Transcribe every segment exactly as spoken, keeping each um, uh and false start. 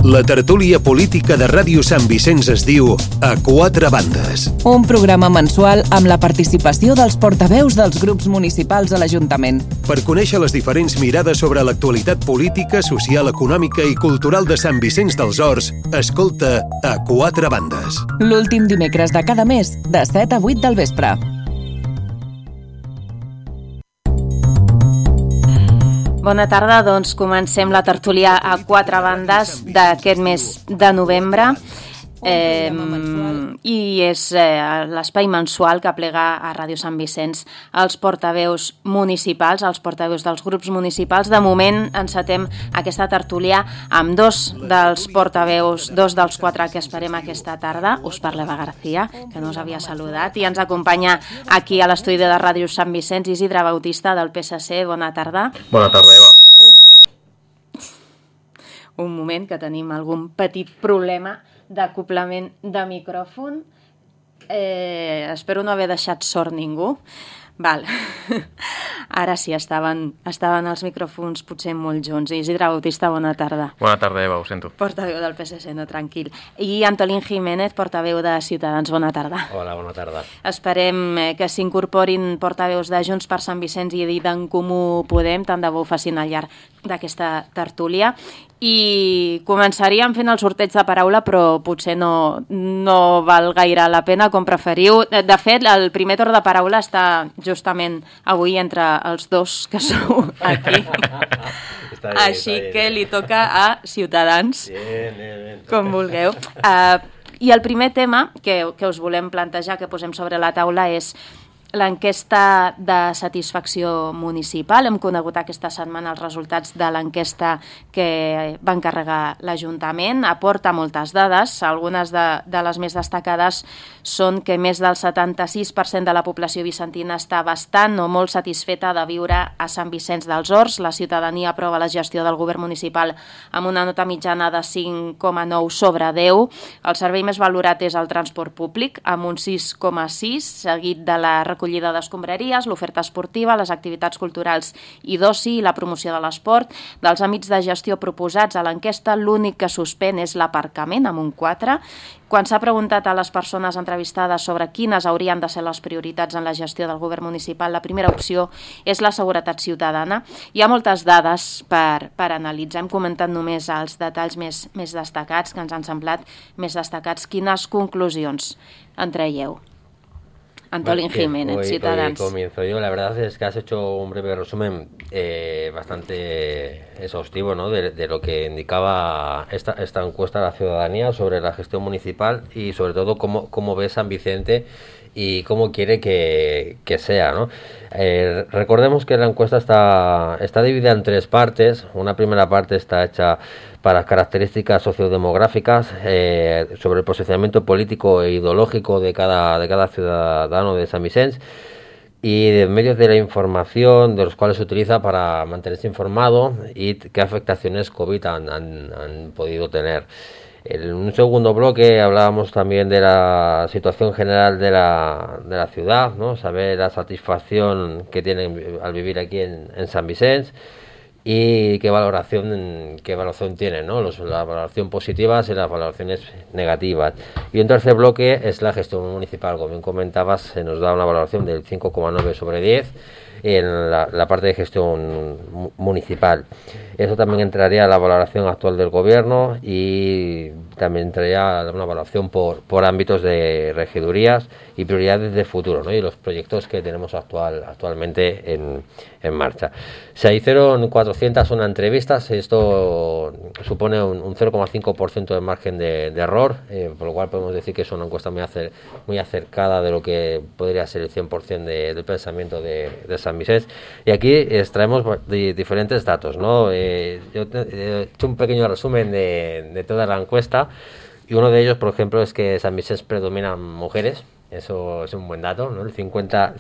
La tertúlia política de Ràdio Sant Vicenç es diu A Quatre Bandes. Un programa mensual amb la participació dels portaveus dels grups municipals a l'Ajuntament. Per conèixer les diferents mirades sobre l'actualitat política, social, econòmica i cultural de Sant Vicenç dels Horts, escolta A Quatre Bandes. L'últim dimecres de cada mes, de set a vuit del vespre. Bona tarda, doncs comencem la tertúlia a quatre bandes d'aquest mes de novembre. Eh, i és eh, l'espai mensual que plega a Ràdio Sant Vicenç els portaveus municipals, els portaveus dels grups municipals. De moment encetem aquesta tertúlia amb dos dels portaveus, dos dels quatre que esperem aquesta tarda. Us parla Eva García, que no us havia saludat, i ens acompanya aquí a l'estudi de Ràdio Sant Vicenç Isidre Bautista del P S C. Bona tarda. Bona tarda, Eva. Un moment, que tenim algun petit problema d'acoplament de micròfon. Eh, espero no haver deixat sord ningú. Val. Ara sí, estaven, estaven els micròfons potser molt junts. Isidre Bautista, bona tarda. Bona tarda, Eva, ho sento. Portaveu del P S C, no, tranquil. I Antolín Jiménez, portaveu de Ciutadans, bona tarda. Hola, bona tarda. Esperem que s'incorporin portaveus de Junts per Sant Vicenç i d'En Comú Podem, tant de bo ho facin al llarg d'aquesta tertúlia. I començaríem fent el sorteig de paraula, però potser no, no val gaire la pena, com preferiu. De fet, el primer torn de paraula està justament avui entre els dos que sou aquí. Està bé, Així està bé. que li toca a Ciutadans, Bien, bien, bien. com vulgueu. Uh, I el primer tema que, que us volem plantejar, que posem sobre la taula, és l'enquesta de satisfacció municipal. Hem conegut aquesta setmana els resultats de l'enquesta que va encarregar l'Ajuntament. Aporta moltes dades. Algunes de, de les més destacades són que més del setanta-sis per cent de la població vicentina està bastant o molt satisfeta de viure a Sant Vicenç dels Horts. La ciutadania aprova la gestió del govern municipal amb una nota mitjana de cinc coma nou sobre deu. El servei més valorat és el transport públic, amb un sis coma sis, seguit de la recollida d'escombraries, l'oferta esportiva, les activitats culturals i d'oci i la promoció de l'esport. Dels àmbits de gestió proposats a l'enquesta, l'únic que suspèn és l'aparcament, amb un quatre. Quan s'ha preguntat a les persones entrevistades sobre quines haurien de ser les prioritats en la gestió del govern municipal, la primera opció és la seguretat ciutadana. Hi ha moltes dades per, per analitzar. Hem comentat només els detalls més, més destacats, que ens han semblat més destacats. Quines conclusions en traieu? Antolín Jiménez, hoy, Ciutadans. Hoy comienzo yo. La verdad es que has hecho un breve resumen eh, bastante exhaustivo, ¿no? de, de lo que indicaba esta, esta encuesta a la ciudadanía sobre la gestión municipal y sobre todo cómo, cómo ve San Vicente y cómo quiere que, que sea, ¿no? Eh, recordemos que la encuesta está, está dividida en tres partes. Una primera parte está hecha para las características sociodemográficas, eh, sobre el posicionamiento político e ideológico de cada, de cada ciudadano de San Vicenç y de medios de la información de los cuales se utiliza para mantenerse informado y qué afectaciones COVID han, han, han podido tener. En un segundo bloque hablábamos también de la situación general de la, de la ciudad, ¿no? Saber la satisfacción que tienen al vivir aquí en, en San Vicenç y qué valoración qué valoración tienen, ¿no? Los, la valoración positivas y las valoraciones negativas. Y un tercer bloque es la gestión municipal. Como bien comentabas, se nos da una valoración del cinco coma nueve sobre diez en la, la parte de gestión municipal. Eso también entraría a la valoración actual del gobierno y también entraría a una valoración por, por ámbitos de regidurías y prioridades de futuro, ¿no? Y los proyectos que tenemos actual, actualmente en, en marcha. Se hicieron cuatrocientas una entrevistas, esto supone un, un cero coma cinco por ciento de margen de, de error, eh, por lo cual podemos decir que es una encuesta muy, acer, muy acercada de lo que podría ser el cien por ciento de, del pensamiento de, de San Vicenç. Y aquí extraemos de, diferentes datos, ¿no? Eh, yo he hecho un pequeño resumen de, de toda la encuesta y uno de ellos, por ejemplo, es que San Vicenç predominan mujeres. Eso es un buen dato, ¿no? El cincuenta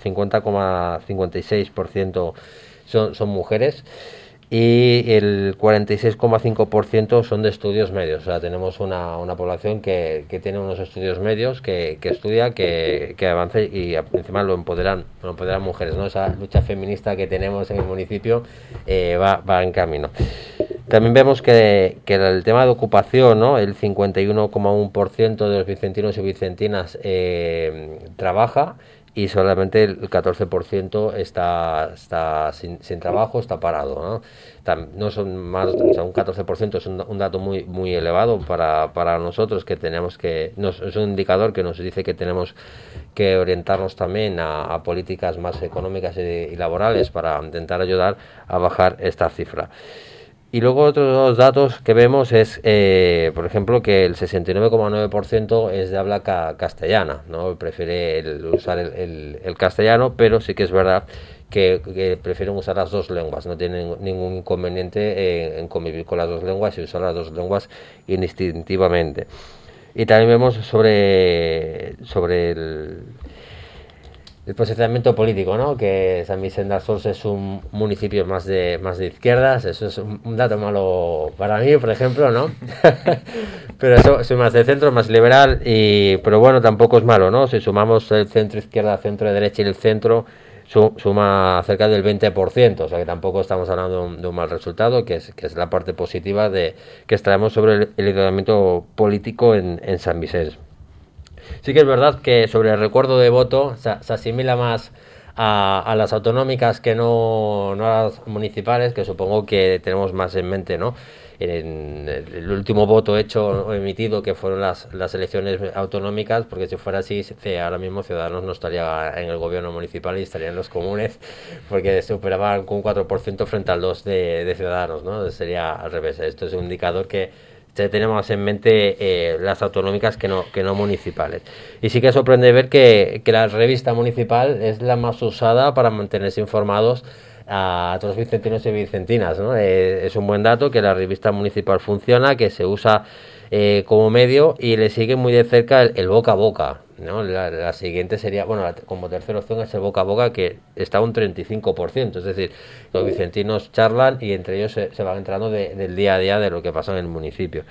coma cincuenta y seis por ciento son, son mujeres y el cuarenta y seis coma cinco por ciento son de estudios medios. O sea, tenemos una, una población que, que tiene unos estudios medios, que, que estudia, que, que avanza y encima lo empoderan, lo empoderan mujeres, ¿no? Esa lucha feminista que tenemos en el municipio eh, va, va en camino. También vemos que, que el tema de ocupación, ¿no? El cincuenta y uno coma uno por ciento de los vicentinos y vicentinas eh, trabaja, y solamente el catorce por ciento está, está sin, sin trabajo, está parado, ¿no? Tam, no son más, o sea, un catorce por ciento es un, un dato muy muy elevado para, para nosotros, que tenemos que, nos, es un indicador que nos dice que tenemos que orientarnos también a, a políticas más económicas y, y laborales para intentar ayudar a bajar esta cifra. Y luego otros datos que vemos es, eh, por ejemplo, que el sesenta y nueve coma nueve por ciento es de habla ca castellana, ¿no? Prefiere el, usar el, el, el castellano, pero sí que es verdad que, que prefieren usar las dos lenguas, no tienen ningún inconveniente en, en convivir con las dos lenguas y usar las dos lenguas indistintivamente. Y también vemos sobre, sobre el... el posicionamiento político, ¿no? Que San Vicente dels Horts es un municipio más de más de izquierdas. Eso es un, un dato malo para mí, por ejemplo, ¿no? Pero eso, soy más de centro, más liberal, y pero bueno, tampoco es malo, ¿no? Si sumamos el centro izquierda, centro derecha y el centro, su, suma cerca del veinte por ciento, o sea que tampoco estamos hablando de un, de un mal resultado, que es, que es la parte positiva de que extraemos sobre el, el liderazgo político en, en San Vicente. Sí que es verdad que sobre el recuerdo de voto se, se asimila más a, a las autonómicas que no, no a las municipales, que supongo que tenemos más en mente, ¿no? En el último voto hecho o emitido, que fueron las, las elecciones autonómicas, porque si fuera así, ahora mismo Ciudadanos no estaría en el gobierno municipal y estaría en los comunes, porque se superaban con un cuatro por ciento frente al dos por ciento de, de Ciudadanos, ¿no? Sería al revés. Esto es un indicador que tenemos en mente eh, las autonómicas que no, que no municipales. Y sí que sorprende ver que, que la revista municipal es la más usada para mantenerse informados a todos los vicentinos y vicentinas, ¿no? Eh, es un buen dato que la revista municipal funciona, que se usa eh, como medio, y le sigue muy de cerca el, el boca a boca, ¿no? La, la siguiente sería, bueno, la, como tercera opción es el boca a boca, que está un treinta y cinco por ciento, es decir, los vicentinos charlan y entre ellos se, se van enterando de, del día a día de lo que pasa en el municipio.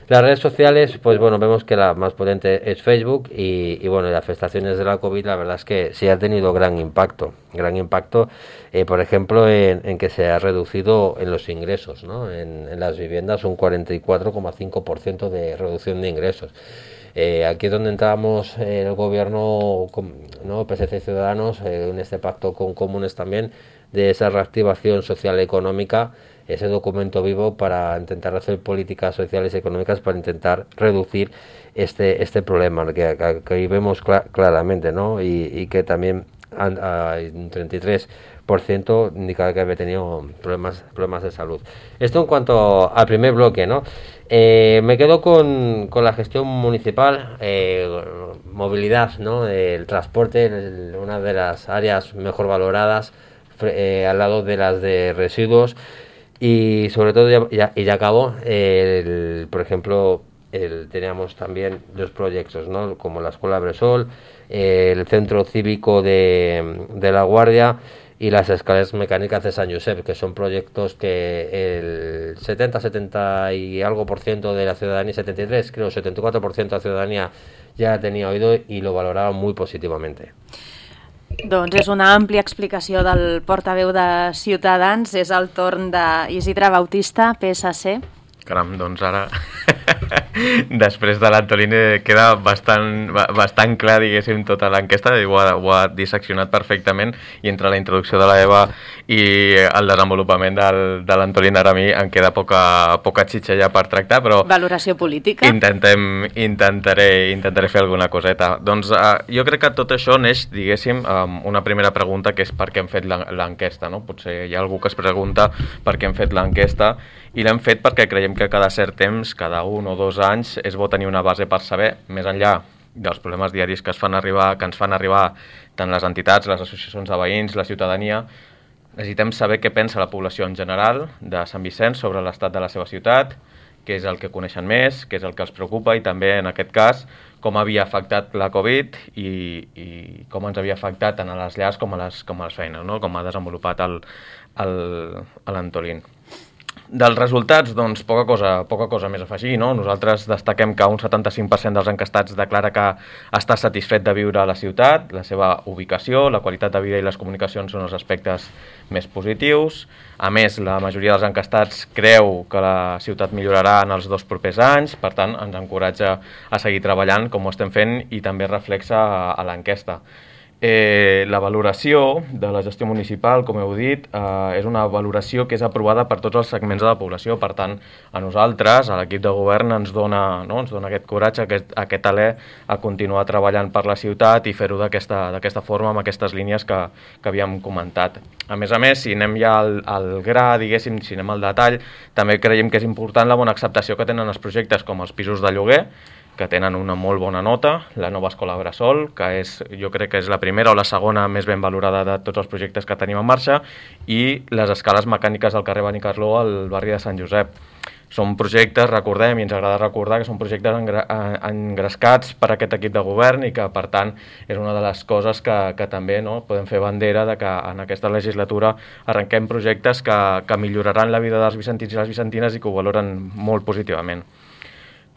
Las redes sociales, pues bueno, vemos que la más potente es Facebook, y, y bueno, las afectaciones de la COVID, la verdad es que sí ha tenido gran impacto, gran impacto, eh, por ejemplo, en, en que se ha reducido en los ingresos, ¿no? En, en las viviendas un cuarenta y cuatro coma cinco por ciento de reducción de ingresos. Eh, aquí es donde entramos en el gobierno, ¿no? P S C y Ciudadanos, eh, en este pacto con comunes también, de esa reactivación social y económica, ese documento vivo para intentar hacer políticas sociales y económicas para intentar reducir este este problema que, que, que ahí vemos cl claramente, ¿no? Y, y que también hay un treinta y tres por ciento indica que había tenido problemas problemas de salud. Esto en cuanto al primer bloque, ¿no? Eh, me quedo con, con la gestión municipal, eh, movilidad, ¿no? El transporte, el, una de las áreas mejor valoradas, eh, al lado de las de residuos. Y sobre todo, ya, ya, y ya acabó, el, por ejemplo, el, teníamos también dos proyectos, ¿no? Como la Escuela Bresol, el Centro Cívico de, de La Guardia y las escaleras mecánicas de San Josep, que son proyectos que el setenta, setenta y algo por ciento de la ciudadanía, setenta y tres, creo, setenta y cuatro por ciento de la ciudadanía ya tenía oído y lo valoraba muy positivamente. Doncs és una àmplia explicació del portaveu de Ciutadans. És el torn d'Isidre Bautista, P S C. Caram, doncs ara, després de l'Antolín queda bastant, bastant clar, diguéssim, tota l'enquesta, ho, ha, ho ha disseccionat perfectament, i entre la introducció de l'Eva i el desenvolupament del, de l'Antolín, ara a mi em queda poca, poca xitxa ja per tractar, però... Valoració política. Intentem, intentaré, intentaré fer alguna coseta. Doncs uh, jo crec que tot això neix, diguéssim, amb una primera pregunta, que és per què hem fet l'enquesta, no? Potser hi ha algú que es pregunta per què hem fet l'enquesta, i l'hem fet perquè creiem que cada cert temps, cada un o dos anys, és bo tenir una base per saber, més enllà dels problemes diaris que, es fan arribar, que ens fan arribar tant les entitats, les associacions de veïns, la ciutadania, necessitem saber què pensa la població en general de Sant Vicenç sobre l'estat de la seva ciutat, què és el que coneixen més, què és el que els preocupa, i també, en aquest cas, com havia afectat la Covid i, i com ens havia afectat tant a les llars com a les, com a les feines, no? Com ha desenvolupat l'Antolín. Dels resultats, doncs, poca cosa, poca cosa més a afegir, no? Nosaltres destaquem que un setanta-cinc per cent dels encastats declara que està satisfet de viure a la ciutat, la seva ubicació, la qualitat de vida i les comunicacions són els aspectes més positius. A més, la majoria dels encastats creu que la ciutat millorarà en els dos propers anys, per tant, ens encoratja a seguir treballant com ho estem fent i també reflexa a, a l'enquesta. Eh, la valoració de la gestió municipal, com heu dit, eh, és una valoració que és aprovada per tots els segments de la població. Per tant, a nosaltres, a l'equip de govern, ens dona, no? ens dona aquest coratge, aquest, aquest alè a continuar treballant per la ciutat i fer-ho d'aquesta d'aquesta forma, amb aquestes línies que, que havíem comentat. A més a més, si anem ja al, al gra, diguéssim, si anem al detall, també creiem que és important la bona acceptació que tenen els projectes com els pisos de lloguer, que tenen una molt bona nota, la nova escola Bressol, que és, jo crec que és la primera o la segona més ben valorada de tots els projectes que tenim en marxa, i les escales mecàniques del carrer Benicarló al barri de Sant Josep. Són projectes, recordem, i ens agrada recordar, que són projectes engra engrescats per aquest equip de govern i que, per tant, és una de les coses que, que també no, podem fer bandera de que en aquesta legislatura arrenquem projectes que, que milloraran la vida dels vicentins i les vicentines i que ho valoren molt positivament.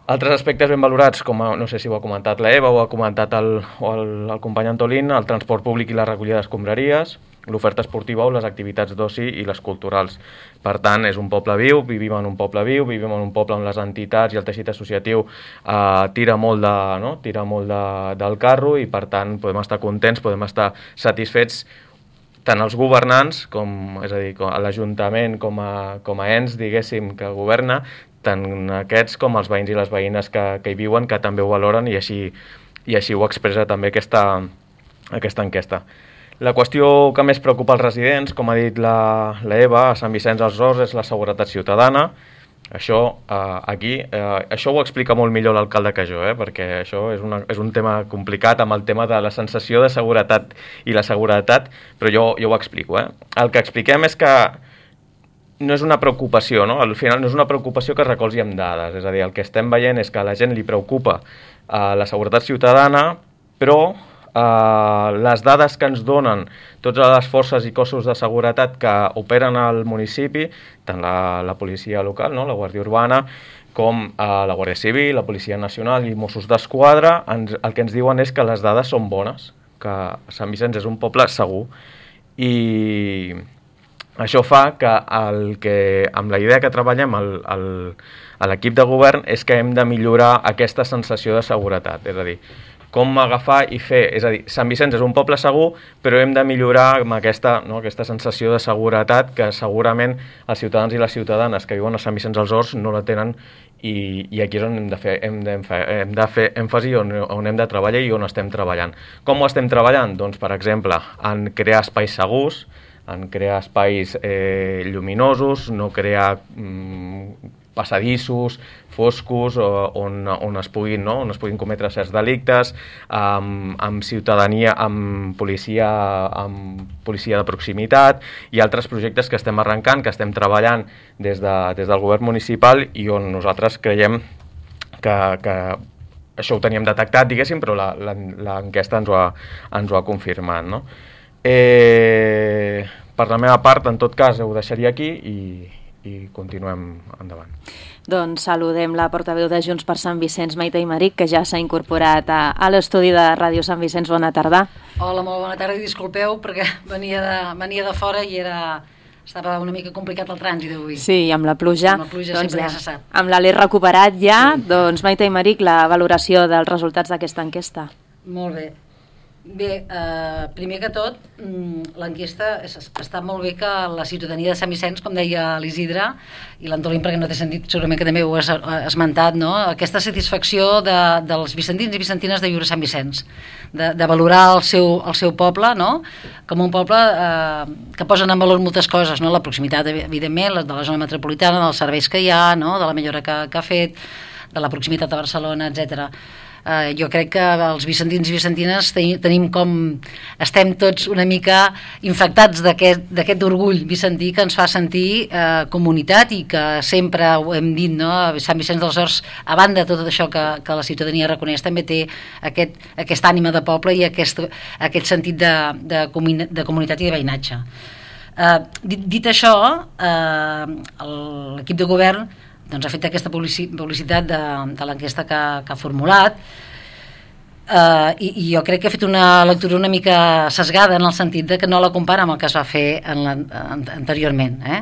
Altres aspectes ben valorats, com a, no sé si ho ha comentat la Eva o ha comentat el, o el, el company Antolín, el transport públic i la recollida d'escombraries, l'oferta esportiva o les activitats d'oci i les culturals. Per tant, és un poble viu, vivim en un poble viu, vivim en un poble on les entitats i el teixit associatiu eh, tira molt, de, no? tira molt de, del carro i, per tant, podem estar contents, podem estar satisfets tant els governants, com, és a dir, a l'Ajuntament com, a, com a ens, diguéssim, que governa, tant aquests com els veïns i les veïnes que, que hi viuen, que també ho valoren i així, i així ho expressa també aquesta, aquesta enquesta. La qüestió que més preocupa els residents, com ha dit la, la Eva, a Sant Vicenç dels Horts, és la seguretat ciutadana. Això, eh, aquí, eh, això ho explica molt millor l'alcalde que jo, eh, perquè això és, una, és un tema complicat amb el tema de la sensació de seguretat i la seguretat, però jo, jo ho explico. Eh. El que expliquem és que no és una preocupació, no? Al final no és una preocupació que es recolzi amb dades, és a dir, el que estem veient és que a la gent li preocupa eh, la seguretat ciutadana, però eh, les dades que ens donen totes les forces i cossos de seguretat que operen al municipi, tant la, la policia local, no? La Guàrdia Urbana, com eh, la Guàrdia Civil, la Policia Nacional i Mossos d'Esquadra, ens, el que ens diuen és que les dades són bones, que Sant Vicenç és un poble segur, i això fa que, el que amb la idea que treballem el, el, a l'equip de govern és que hem de millorar aquesta sensació de seguretat, és a dir, com agafar i fer, és a dir, Sant Vicenç és un poble segur, però hem de millorar amb aquesta, no, aquesta sensació de seguretat que segurament els ciutadans i les ciutadanes que viuen a Sant Vicenç dels Horts no la tenen i, i aquí és on hem de fer, hem de, hem de fer èmfasi, on, on hem de treballar i on estem treballant. Com ho estem treballant? Doncs, per exemple, en crear espais segurs, en crear espais eh, lluminosos, no crear mm, passadissos, foscos, on, on, es puguin, no? on es puguin cometre certs delictes, amb, amb ciutadania, amb policia, amb policia de proximitat i altres projectes que estem arrencant, que estem treballant des, de, des del govern municipal i on nosaltres creiem que, que això ho teníem detectat, diguéssim, però l'enquesta ens, ho ha, ens ho ha confirmat, no? Eh, per la meva part, en tot cas, ho deixaria aquí i, i continuem endavant. Doncs saludem la portaveu de Junts per Sant Vicenç, Maite Aymeric, que ja s'ha incorporat a, a l'estudi de Ràdio Sant Vicenç. Bona tarda. Hola, molt bona tarda i disculpeu perquè venia de, venia de fora i era... estava una mica complicat el trànsit avui. Sí, amb la pluja. Amb la pluja doncs sempre ja, ja se sap. Amb l'alè recuperat ja, sí. Doncs Maite Aymeric, la valoració dels resultats d'aquesta enquesta. Molt bé. Bé, eh, primer que tot, l'enquesta està molt bé que la ciutadania de Sant Vicenç, com deia l'Isidre i l'Antolín, perquè no té sentit, segurament que també ho has esmentat, no? Aquesta satisfacció de, dels vicentins i vicentines de viure a Sant Vicenç, de, de valorar el seu, el seu poble, no? Com un poble eh, que posen en valor moltes coses, no? La proximitat, evidentment, de la zona metropolitana, dels serveis que hi ha, no? De la millora que, que ha fet, de la proximitat a Barcelona, etcètera. Uh, jo crec que els vicentins i vicentines tenim, tenim com... estem tots una mica infectats d'aquest orgull vicentí que ens fa sentir uh, comunitat i que sempre ho hem dit, no? Sant Vicenç dels Horts, a banda de tot això que, que la ciutadania reconeix, també té aquest, aquesta ànima de poble i aquest, aquest sentit de, de, comuni de comunitat i de veïnatge. Eh, dit, dit això, eh, l'equip de govern doncs, ha fet aquesta publicitat de, de l'enquesta que, que ha formulat, eh, i, i jo crec que ha fet una lectura una mica sesgada en el sentit de que no la compara amb el que es va fer en la, en, anteriorment. Eh?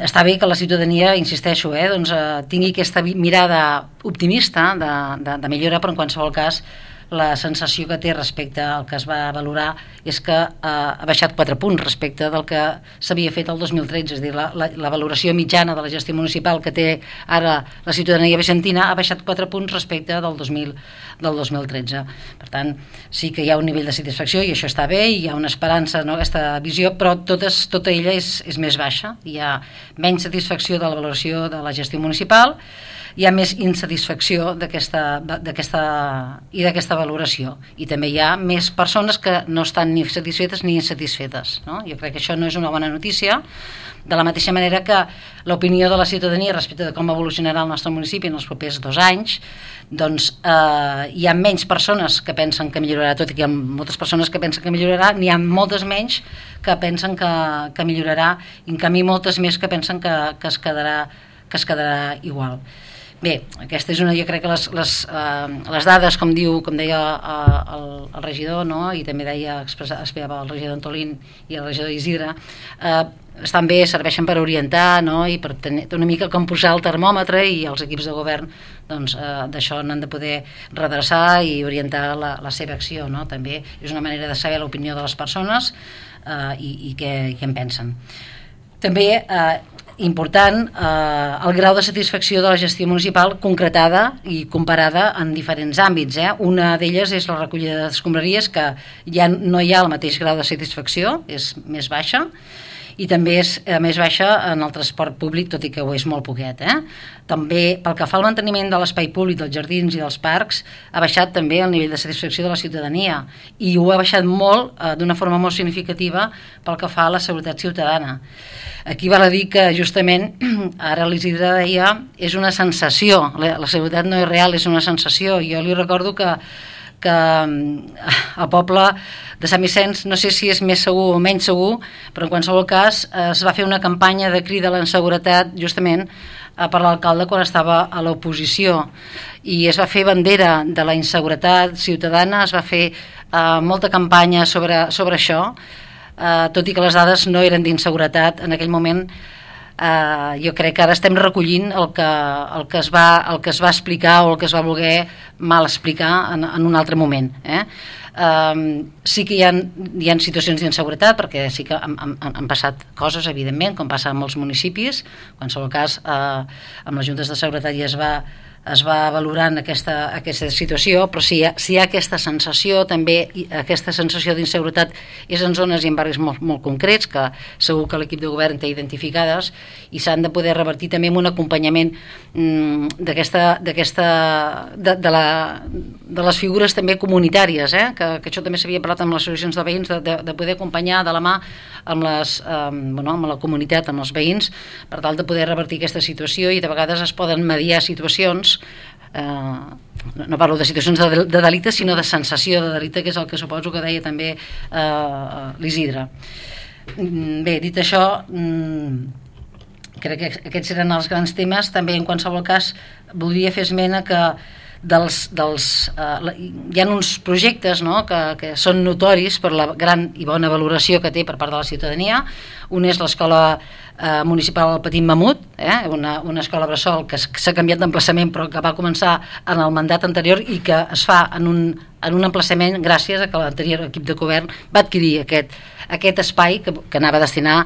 Està bé que la ciutadania, insisteixo, eh, doncs, eh, tingui aquesta mirada optimista de, de, de millora, però en qualsevol cas la sensació que té respecte al que es va valorar és que eh, ha baixat quatre punts respecte del que s'havia fet el dos mil tretze, és a dir, la, la, la valoració mitjana de la gestió municipal que té ara la ciutadania vicentina ha baixat quatre punts respecte del dos mil, del dos mil tretze. Per tant, sí que hi ha un nivell de satisfacció i això està bé, hi ha una esperança, no, aquesta visió, però totes, tota ella és, és més baixa. Hi ha menys satisfacció de la valoració de la gestió municipal, hi ha més insatisfacció d'aquesta d'aquesta i d'aquesta valoració, i també hi ha més persones que no estan ni satisfetes ni insatisfetes, no? Jo crec que això no és una bona notícia, de la mateixa manera que l'opinió de la ciutadania respecte de com evolucionarà el nostre municipi en els propers dos anys, doncs eh, hi ha menys persones que pensen que millorarà, tot i que hi ha moltes persones que pensen que millorarà, n'hi ha moltes menys que pensen que, que millorarà, i en canvi moltes més que pensen que, que, es, quedarà, que es quedarà igual. Bé, aquesta és una, jo crec que les, les, eh, les dades, com diu, com deia eh, el, el regidor, no? I també deia, expressava el regidor Antolín i el regidor Isidre, eh, estan bé, serveixen per orientar, no? I per tenir una mica com posar el termòmetre, i els equips de govern doncs, eh, d'això n'han de poder redreçar i orientar la, la seva acció, no? També és una manera de saber l'opinió de les persones eh, i, i què, què en pensen. També eh, important eh, el grau de satisfacció de la gestió municipal concretada i comparada en diferents àmbits. Eh? Una d'elles és la recollida d'escombraries, que ja no hi ha el mateix grau de satisfacció, és més baixa, i també és eh, més baixa en el transport públic, tot i que ho és molt poquet. Eh? També, pel que fa al manteniment de l'espai públic, dels jardins i dels parcs, ha baixat també el nivell de satisfacció de la ciutadania, i ho ha baixat molt, eh, d'una forma molt significativa, pel que fa a la seguretat ciutadana. Aquí val a dir que justament, ara l'Isidre deia, és una sensació, la, la seguretat no és real, és una sensació. Jo li recordo que, que al poble de Sant Vicenç, no sé si és més segur o menys segur, però en qualsevol cas es va fer una campanya de crida a la inseguretat justament per l'alcalde quan estava a l'oposició, i es va fer bandera de la inseguretat ciutadana, es va fer eh, molta campanya sobre, sobre això, Uh, tot i que les dades no eren d'inseguretat en aquell moment. Uh, jo crec que ara estem recollint el que, el, que es va, el que es va explicar o el que es va voler mal explicar en, en un altre moment. Eh? Uh, sí que hi ha, hi ha situacions d'inseguretat, perquè sí que han, han, han passat coses, evidentment, com passa en molts municipis. En qualsevol cas, uh, amb les juntes de seguretat ja es va es va valorant aquesta, aquesta situació, però si hi, ha, si hi ha aquesta sensació, també aquesta sensació d'inseguretat és en zones i en barris molt, molt concrets, que segur que l'equip de govern té identificades, i s'han de poder revertir també amb un acompanyament mmm, d'aquesta, d'aquesta de, de, la, de les figures també comunitàries, eh? que, que això també s'havia parlat amb les associacions de veïns, de, de, de poder acompanyar de la mà amb, les, eh, bueno, amb la comunitat, amb els veïns, per tal de poder revertir aquesta situació, i de vegades es poden mediar situacions. Eh, no parlo de situacions de, de delicte, sinó de sensació de delicte, que és el que suposo que deia també eh, l'Isidre. Bé, dit això, crec que aquests eren els grans temes. També, en qualsevol cas, voldria fer esment que dels, dels, eh, hi ha uns projectes, no?, que, que són notoris per la gran i bona valoració que té per part de la ciutadania. Un és l'escola eh, municipal del Petit Mamut, eh, una, una escola bressol que s'ha canviat d'emplaçament, però que va començar en el mandat anterior i que es fa en un, en un emplaçament gràcies a que l'anterior equip de govern va adquirir aquest, aquest espai que, que anava a destinar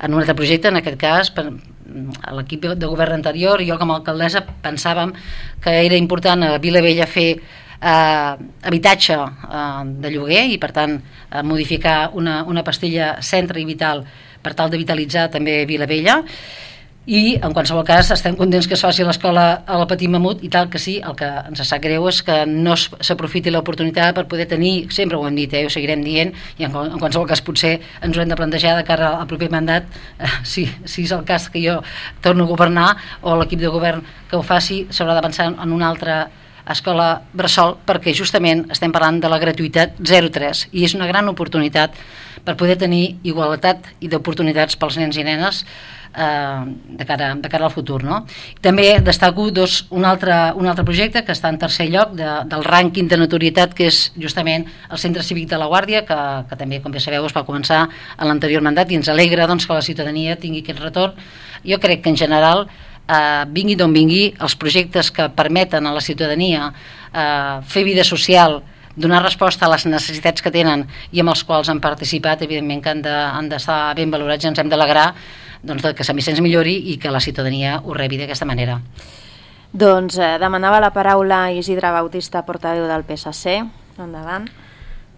en un altre projecte, en aquest cas per, a l'equip de govern anterior. I jo com a alcaldessa pensàvem que era important a Vilavella fer eh, habitatge eh, de lloguer, i per tant eh, modificar una, una pastilla Centre i Vital per tal de vitalitzar també Vilavella. I en qualsevol cas estem contents que es faci l'escola al Petit Mamut, i tal que sí, el que ens sap greu és que no s'aprofiti l'oportunitat per poder tenir, sempre ho hem dit, eh, ho seguirem dient, i en, en qualsevol cas potser ens ho hem de plantejar de cara al proper mandat, eh, si, si és el cas que jo torno a governar, o l'equip de govern que ho faci, s'haurà de pensar en un altre escola bressol, perquè justament estem parlant de la gratuïtat zero tres i és una gran oportunitat per poder tenir igualtat i d'oportunitats pels nens i nenes eh, de, cara, de cara al futur, no? També destaco dos, un, altre, un altre projecte que està en tercer lloc de, del rànquing de notorietat, que és justament el Centre Cívic de la Guàrdia, que, que també, com bé sabeu, es va començar en l'anterior mandat i ens alegra doncs, que la ciutadania tingui aquest retorn. Jo crec que en general eh, vingui d'on vingui, els projectes que permeten a la ciutadania eh, fer vida social, donar resposta a les necessitats que tenen i amb els quals han participat, evidentment que han de, han d'estar ben valorats i ens hem d'alegrar doncs, que Sant Vicenç millori i que la ciutadania ho rebi d'aquesta manera. Doncs eh, demanava la paraula Isidre Bautista, portaveu del P S C. Endavant.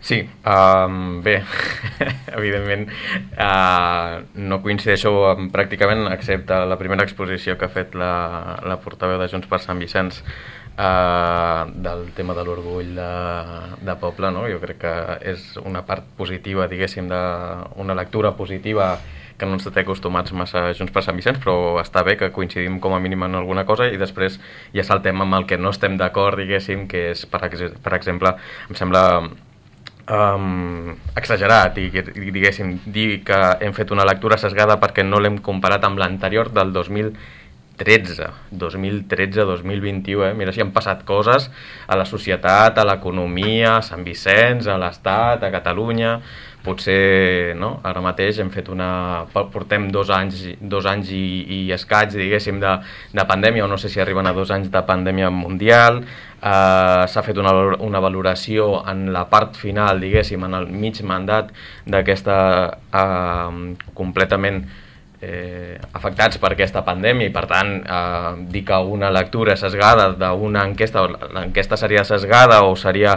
Sí, um, bé, evidentment uh, no coincideixo amb, pràcticament, excepte la primera exposició que ha fet la, la portaveu de Junts per Sant Vicenç uh, del tema de l'orgull de, de poble, no? Jo crec que és una part positiva, diguéssim, de, una lectura positiva que no ens té acostumats massa a Junts per Sant Vicenç, però està bé que coincidim com a mínim en alguna cosa i després ja saltem amb el que no estem d'acord, diguéssim, que és, per, ex per exemple, em sembla Um, exagerat i, i diguéssim dir que hem fet una lectura sesgada perquè no l'hem comparat amb l'anterior del dos mil tretze, dos mil tretze dos mil vint-i-u, eh? Mira si han passat coses a la societat, a l'economia, a Sant Vicenç, a l'Estat, a Catalunya. Potser, no? Ara mateix hem fet una... portem dos anys, dos anys i, i escaig, diguéssim, de, de pandèmia, o no sé si arriben a dos anys de pandèmia mundial. Uh, s'ha fet una, una valoració en la part final, diguéssim, en el mig mandat d'aquesta uh, completament eh, afectats per aquesta pandèmia i per tant eh, dir que una lectura sesgada d'una enquesta, l'enquesta seria sesgada o seria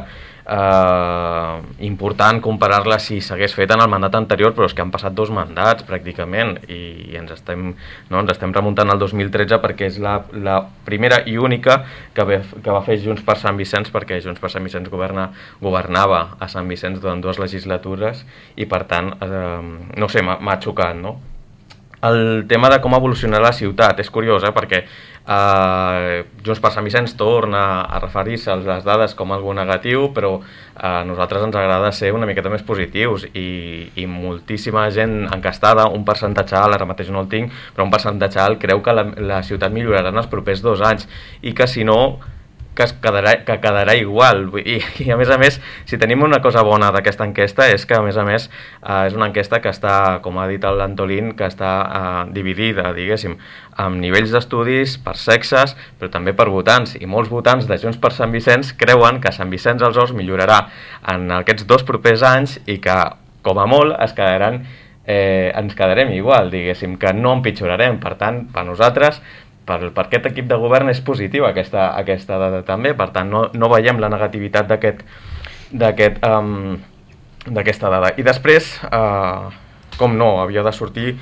eh, important comparar-la si s'hagués fet en el mandat anterior, però és que han passat dos mandats pràcticament i, i ens, estem, no, ens estem remuntant al dos mil tretze perquè és la, la primera i única que, ve, que va fer Junts per Sant Vicenç, perquè Junts per Sant Vicenç governa, governava a Sant Vicenç durant dues legislatures i per tant, eh, no sé, m'ha xocat, no? El tema de com evolucionar la ciutat és curiós, eh? Perquè eh, Junts per Sant Vicenç torna a referir-se a les dades com algo negatiu, però a nosaltres ens agrada ser una miqueta més positius i, i moltíssima gent encastada, un percentatge alt, ara mateix no el tinc, però un percentatge alt creu que la, la ciutat millorarà en els propers dos anys i que si no que es quedarà, que quedarà igual. I, i a més a més, si tenim una cosa bona d'aquesta enquesta és que a més a més eh, és una enquesta que està, com ha dit l'Antolín, que està eh, dividida, diguéssim, amb nivells d'estudis per sexes, però també per votants, i molts votants de Junts per Sant Vicenç creuen que Sant Vicenç dels Horts millorarà en aquests dos propers anys i que, com a molt, es quedaran, eh, ens quedarem igual, diguéssim, que no empitjorarem. Per tant, per nosaltres, Per, per aquest equip de govern és positiva aquesta, aquesta dada també, per tant no, no veiem la negativitat d'aquest d'aquest um, d'aquesta dada. I després, uh, com no, havia de sortir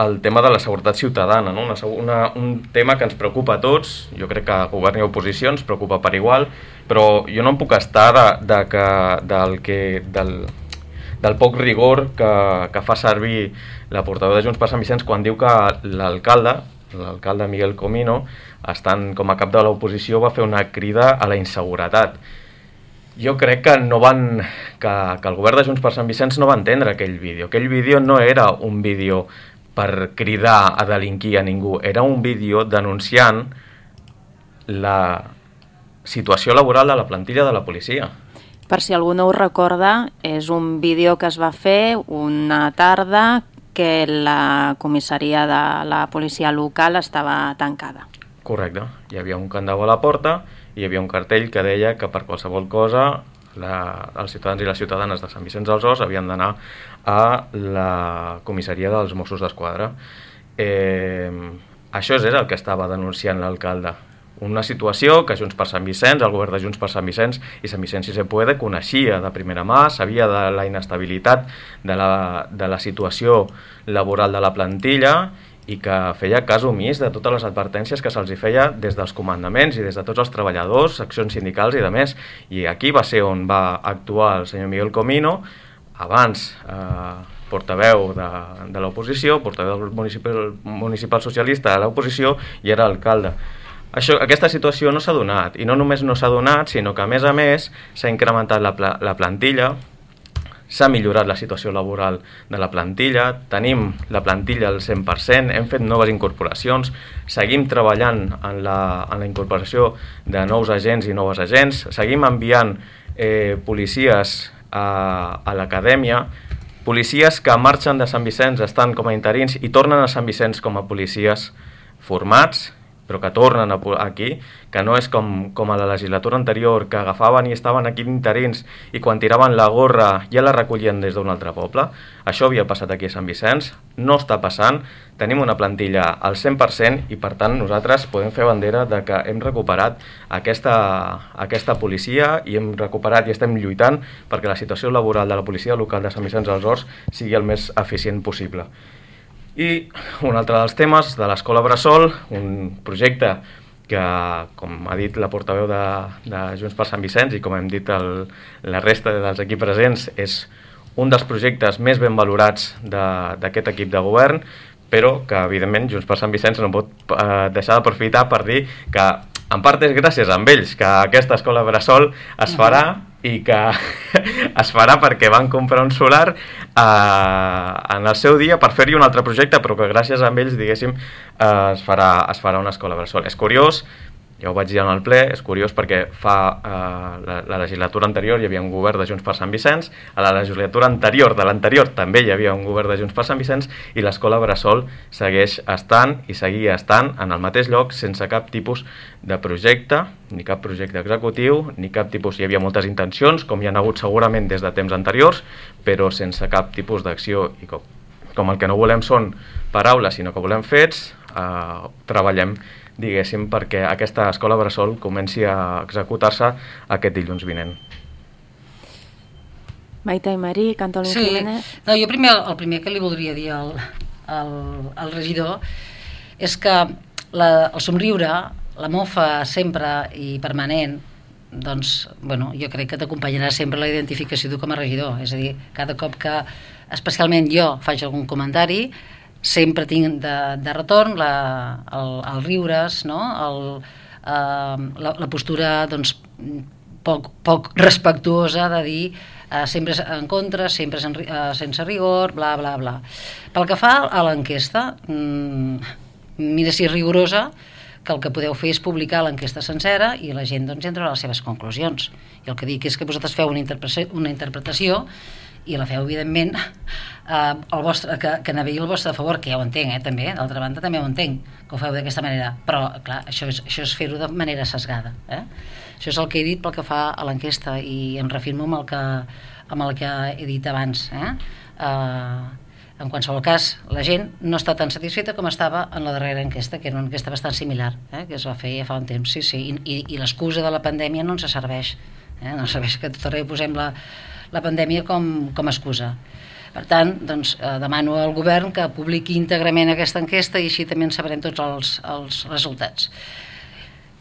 el tema de la seguretat ciutadana, no? una, una, un tema que ens preocupa a tots, jo crec que govern i oposició ens preocupa per igual, però jo no em puc estar de, de que, del, que, del, del poc rigor que, que fa servir la portaveu de Junts per Sant Vicenç quan diu que l'alcalde l'alcalde Miguel Comino, estant com a cap de l'oposició, va fer una crida a la inseguretat. Jo crec que no van que, que el govern de Junts per Sant Vicenç no va entendre aquell vídeo. Aquell vídeo no era un vídeo per cridar a delinquir a ningú, era un vídeo denunciant la situació laboral de la plantilla de la policia. Per si algú no ho recorda, és un vídeo que es va fer una tarda que la comissaria de la policia local estava tancada. Correcte. Hi havia un candau a la porta i hi havia un cartell que deia que per qualsevol cosa la, els ciutadans i les ciutadanes de Sant Vicenç dels Horts havien d'anar a la comissaria dels Mossos d'Esquadra. Eh, això és el que estava denunciant l'alcalde. Una situació que Junts per Sant Vicenç, el govern de Junts per Sant Vicenç i Sant Vicenç si se puede coneixia de primera mà, sabia de la inestabilitat de la, de la situació laboral de la plantilla i que feia cas omís de totes les advertències que se'ls feia des dels comandaments i des de tots els treballadors, seccions sindicals i de més. I aquí va ser on va actuar el senyor Miguel Comino, abans eh, portaveu de, de l'oposició, portaveu del municipal, municipal socialista de l'oposició i era alcalde. això, aquesta situació no s'ha donat, i no només no s'ha donat, sinó que a més a més s'ha incrementat la, pla la plantilla, s'ha millorat la situació laboral de la plantilla, tenim la plantilla al cent per cent, hem fet noves incorporacions, seguim treballant en la, en la incorporació de nous agents i noves agents, seguim enviant eh, policies a, a l'acadèmia, policies que marxen de Sant Vicenç, estan com a interins i tornen a Sant Vicenç com a policies formats, però que tornen a, aquí, que no és com, com a la legislatura anterior, que agafaven i estaven aquí interins i quan tiraven la gorra ja la recollien des d'un altre poble. Això havia passat aquí a Sant Vicenç, no està passant, tenim una plantilla al cent per cent i per tant nosaltres podem fer bandera de que hem recuperat aquesta, aquesta policia i hem recuperat i estem lluitant perquè la situació laboral de la policia local de Sant Vicenç dels Horts sigui el més eficient possible. I un altre dels temes de l'Escola Bressol, un projecte que, com ha dit la portaveu de, de Junts per Sant Vicenç i com hem dit el, la resta dels aquí presents, és un dels projectes més ben valorats d'aquest equip de govern, però que evidentment Junts per Sant Vicenç no pot eh, deixar d'aprofitar per dir que en part és gràcies a ells que aquesta Escola Bressol es farà i que es farà perquè van comprar un solar eh, en el seu dia per fer-hi un altre projecte, però que gràcies a ells, diguéssim, eh, es, farà, es farà una escola bressol. És curiós, ja ho vaig dir en el ple, és curiós perquè fa eh, la, la legislatura anterior hi havia un govern de Junts per Sant Vicenç, a la legislatura anterior de l'anterior també hi havia un govern de Junts per Sant Vicenç i l'escola bressol segueix estant i seguia estant en el mateix lloc sense cap tipus de projecte, ni cap projecte executiu, ni cap tipus... Hi havia moltes intencions, com hi ha hagut segurament des de temps anteriors, però sense cap tipus d'acció i com, com el que no volem són paraules, sinó que volem fets, eh, treballem diguéssim, perquè aquesta escola bressol comenci a executar-se aquest dilluns vinent. Maite i Marí, Cantolín sí. Jiménez. No, jo primer, el primer que li voldria dir al, al, al regidor és que la, el somriure, la mofa sempre i permanent, doncs, bueno, jo crec que t'acompanyarà sempre la identificació tu com a regidor. És a dir, cada cop que, especialment jo, faig algun comentari, sempre tinc de, de retorn la, el, el riures, no? el, eh, la, la postura doncs, poc, poc respectuosa de dir eh, sempre en contra, sempre sen, eh, sense rigor, bla, bla, bla. Pel que fa a l'enquesta, mmm, mira si és rigorosa, que el que podeu fer és publicar l'enquesta sencera i la gent doncs, entra a les seves conclusions. I el que dic és que vosaltres feu una interpretació, una interpretació i la feu, evidentment, eh, el vostre, que, que navegui el vostre a favor, que ja ho entenc, eh, també, d'altra banda també ho entenc, que ho feu d'aquesta manera, però, clar, això és, això és fer-ho de manera sesgada. Eh? Això és el que he dit pel que fa a l'enquesta i em reafirmo amb el que, amb el que he dit abans. Eh? Eh, en qualsevol cas, la gent no està tan satisfeta com estava en la darrera enquesta, que era una enquesta bastant similar, eh? que es va fer ja fa un temps, sí, sí, i, i, i l'excusa de la pandèmia no ens serveix, eh? no serveix que tot arreu posem la la pandèmia com, com a excusa. Per tant, doncs, eh, demano al govern que publiqui íntegrament aquesta enquesta i així també en sabrem tots els, els resultats.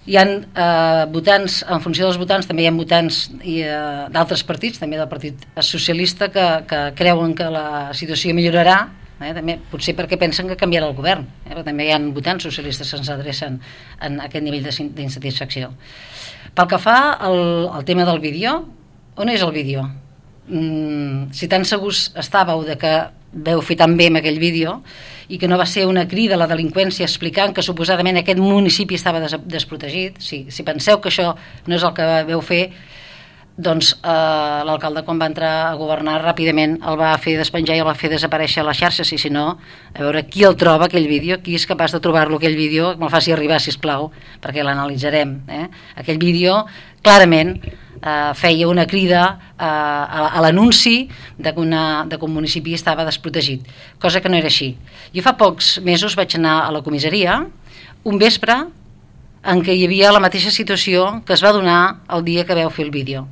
Hi ha eh, votants, en funció dels votants, també hi ha votants eh, d'altres partits, també del Partit Socialista, que, que creuen que la situació millorarà, eh, també, potser perquè pensen que canviarà el govern, eh, però també hi ha votants socialistes que ens adrecen en aquest nivell d'insatisfacció. Pel que fa al, al tema del vídeo, on és el vídeo? Mm, si tan segurs estàveu de que veu fer tan bé amb aquell vídeo i que no va ser una crida a la delinqüència explicant que suposadament aquest municipi estava des desprotegit, si, si penseu que això no és el que veu fer, doncs eh, l'alcalde quan va entrar a governar ràpidament el va fer despenjar i el va fer desaparèixer a les xarxes, i si no, a veure qui el troba aquell vídeo, qui és capaç de trobar-lo aquell vídeo, que me'l faci arribar sisplau perquè l'analitzarem. Eh? Aquell vídeo clarament Uh, feia una crida uh, a, a l'anunci de, de que un municipi estava desprotegit, cosa que no era així. Jo fa pocs mesos vaig anar a la comissaria un vespre en què hi havia la mateixa situació que es va donar el dia que vau fer el vídeo.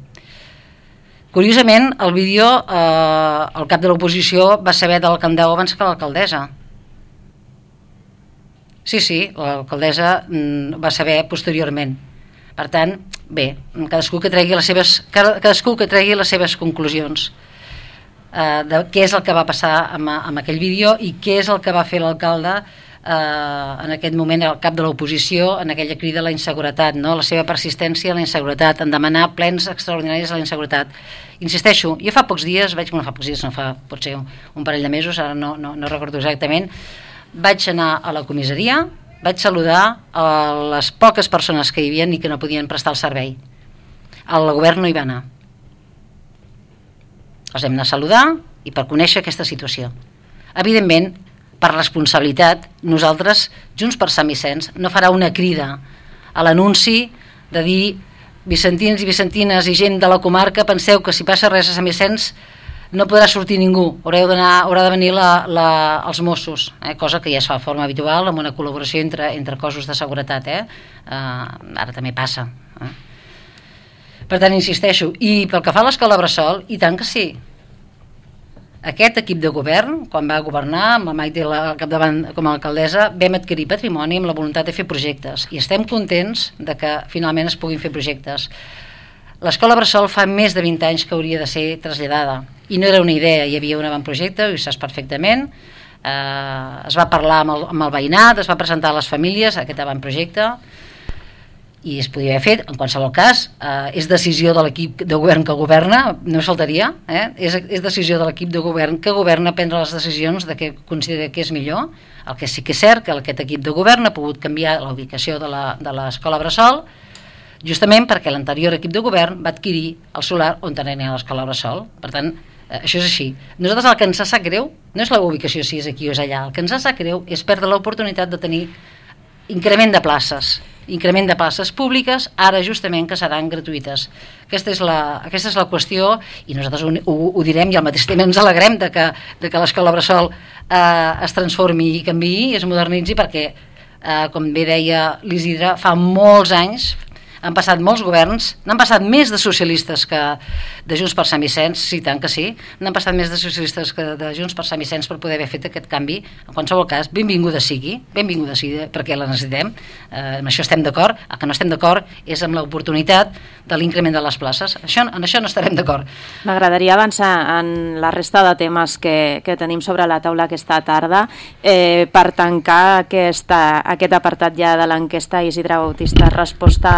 Curiosament, el vídeo, eh, el cap de l'oposició va saber del candau abans que l'alcaldessa. Sí, sí, l'alcaldessa mm, va saber posteriorment. Per tant, bé, cadascú que tregui les seves, cadascú que tregui les seves conclusions eh, de què és el que va passar amb, amb aquell vídeo i què és el que va fer l'alcalde eh, en aquest moment el cap de l'oposició en aquella crida a la inseguretat, no? La seva persistència a la inseguretat, en demanar plens extraordinaris a la inseguretat. Insisteixo, jo fa pocs dies, vaig, bueno, fa pocs dies, no fa potser un, un parell de mesos, ara no, no, no recordo exactament, vaig anar a la comissaria, vaig saludar a les poques persones que hi havia i que no podien prestar el servei. El govern no hi va anar. Els hem d'anar a saludar i per conèixer aquesta situació. Evidentment, per responsabilitat, nosaltres, Junts per Sant Vicenç, no farà una crida a l'anunci de dir vicentins i vicentines i gent de la comarca, penseu que si passa res a Sant Vicenç no podrà sortir ningú, haureu d'anar, haurà de venir la, la, els Mossos, eh? Cosa que ja es fa de forma habitual amb una col·laboració entre, entre cossos de seguretat, eh? Uh, ara també passa. Eh? Per tant, insisteixo, i pel que fa a l'escola Bressol, i tant que sí. Aquest equip de govern, quan va governar amb la Maite al capdavant com a alcaldessa, vam adquirir patrimoni amb la voluntat de fer projectes i estem contents de que finalment es puguin fer projectes. L'escola Bressol fa més de vint anys que hauria de ser traslladada i no era una idea, hi havia un avantprojecte, ho saps perfectament, eh, es va parlar amb el, amb el veïnat, es va presentar a les famílies aquest avantprojecte i es podia haver fet. En qualsevol cas, eh, és decisió de l'equip de govern que governa, no faltaria, eh? és, és decisió de l'equip de govern que governa prendre les decisions de què considera que és millor. El que sí que és cert que aquest equip de govern ha pogut canviar la ubicació de l'escola Bressol justament perquè l'anterior equip de govern va adquirir el solar on tenia l'escola Bressol. Per tant, eh, això és així. Nosaltres el que ens sap greu no és la ubicació si és aquí o és allà, el que ens sap greu és perdre l'oportunitat de tenir increment de places, increment de places públiques, ara justament que seran gratuïtes. Aquesta és la, aquesta és la qüestió i nosaltres ho, ho, ho direm i al mateix temps ens alegrem de que, de que l'escola Bressol eh, es transformi i canviï i es modernitzi perquè, eh, com bé deia l'Isidre, fa molts anys han passat molts governs, n'han passat més de socialistes que de Junts per Sant Vicenç, sí, tant que sí, n'han passat més de socialistes que de Junts per Sant Vicenç per poder haver fet aquest canvi. En qualsevol cas, benvinguda sigui, benvinguda sigui, perquè la necessitem, eh, amb això estem d'acord. El que no estem d'acord és amb l'oportunitat de l'increment de les places. Això, en això no estarem d'acord. M'agradaria avançar en la resta de temes que, que tenim sobre la taula aquesta tarda. Eh, per tancar aquesta, aquest apartat ja de l'enquesta, Isidre Bautista, resposta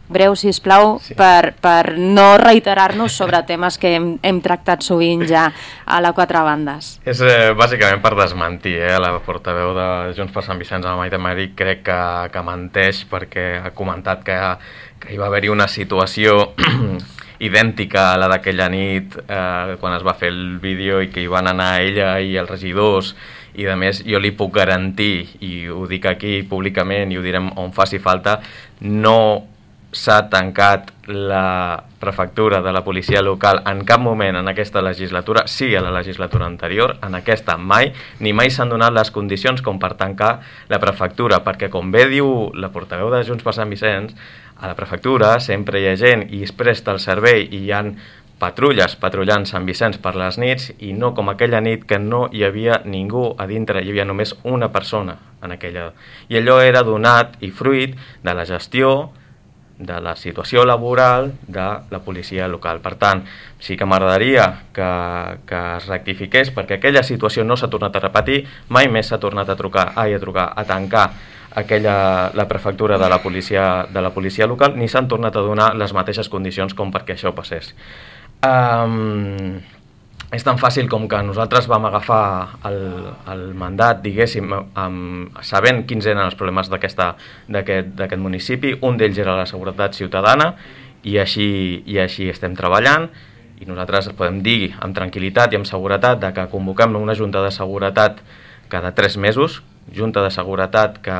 breu, sisplau, sí. per, per no reiterar-nos sobre temes que hem, hem tractat sovint ja a la Quatre Bandes. És eh, bàsicament per desmentir eh, la portaveu de Junts per Sant Vicenç, la Maite Mari, crec que, que menteix perquè ha comentat que, que hi va haver-hi una situació idèntica a la d'aquella nit eh, quan es va fer el vídeo i que hi van anar ella i els regidors i a més jo li puc garantir, i ho dic aquí públicament i ho direm on faci falta, no s'ha tancat la prefectura de la policia local en cap moment en aquesta legislatura, sí a la legislatura anterior, en aquesta mai, ni mai s'han donat les condicions com per tancar la prefectura, perquè com bé diu la portaveu de Junts per Sant Vicenç, a la prefectura sempre hi ha gent i es presta el servei i hi ha patrulles patrullant Sant Vicenç per les nits i no com aquella nit que no hi havia ningú a dintre, hi havia només una persona en aquella. I allò era donat i fruit de la gestió de la situació laboral de la policia local. Per tant, sí que m'agradaria que, que es rectifiqués perquè aquella situació no s'ha tornat a repetir, mai més s'ha tornat a trucar, ai, a trucar, a tancar aquella, la prefectura de la policia, de la policia local, ni s'han tornat a donar les mateixes condicions com perquè això passés. Um, és tan fàcil com que nosaltres vam agafar el, el mandat, diguéssim, amb, sabent quins eren els problemes d'aquest municipi. Un d'ells era la seguretat ciutadana i així, i així estem treballant i nosaltres podem dir amb tranquil·litat i amb seguretat de que convoquem una junta de seguretat cada tres mesos, junta de seguretat que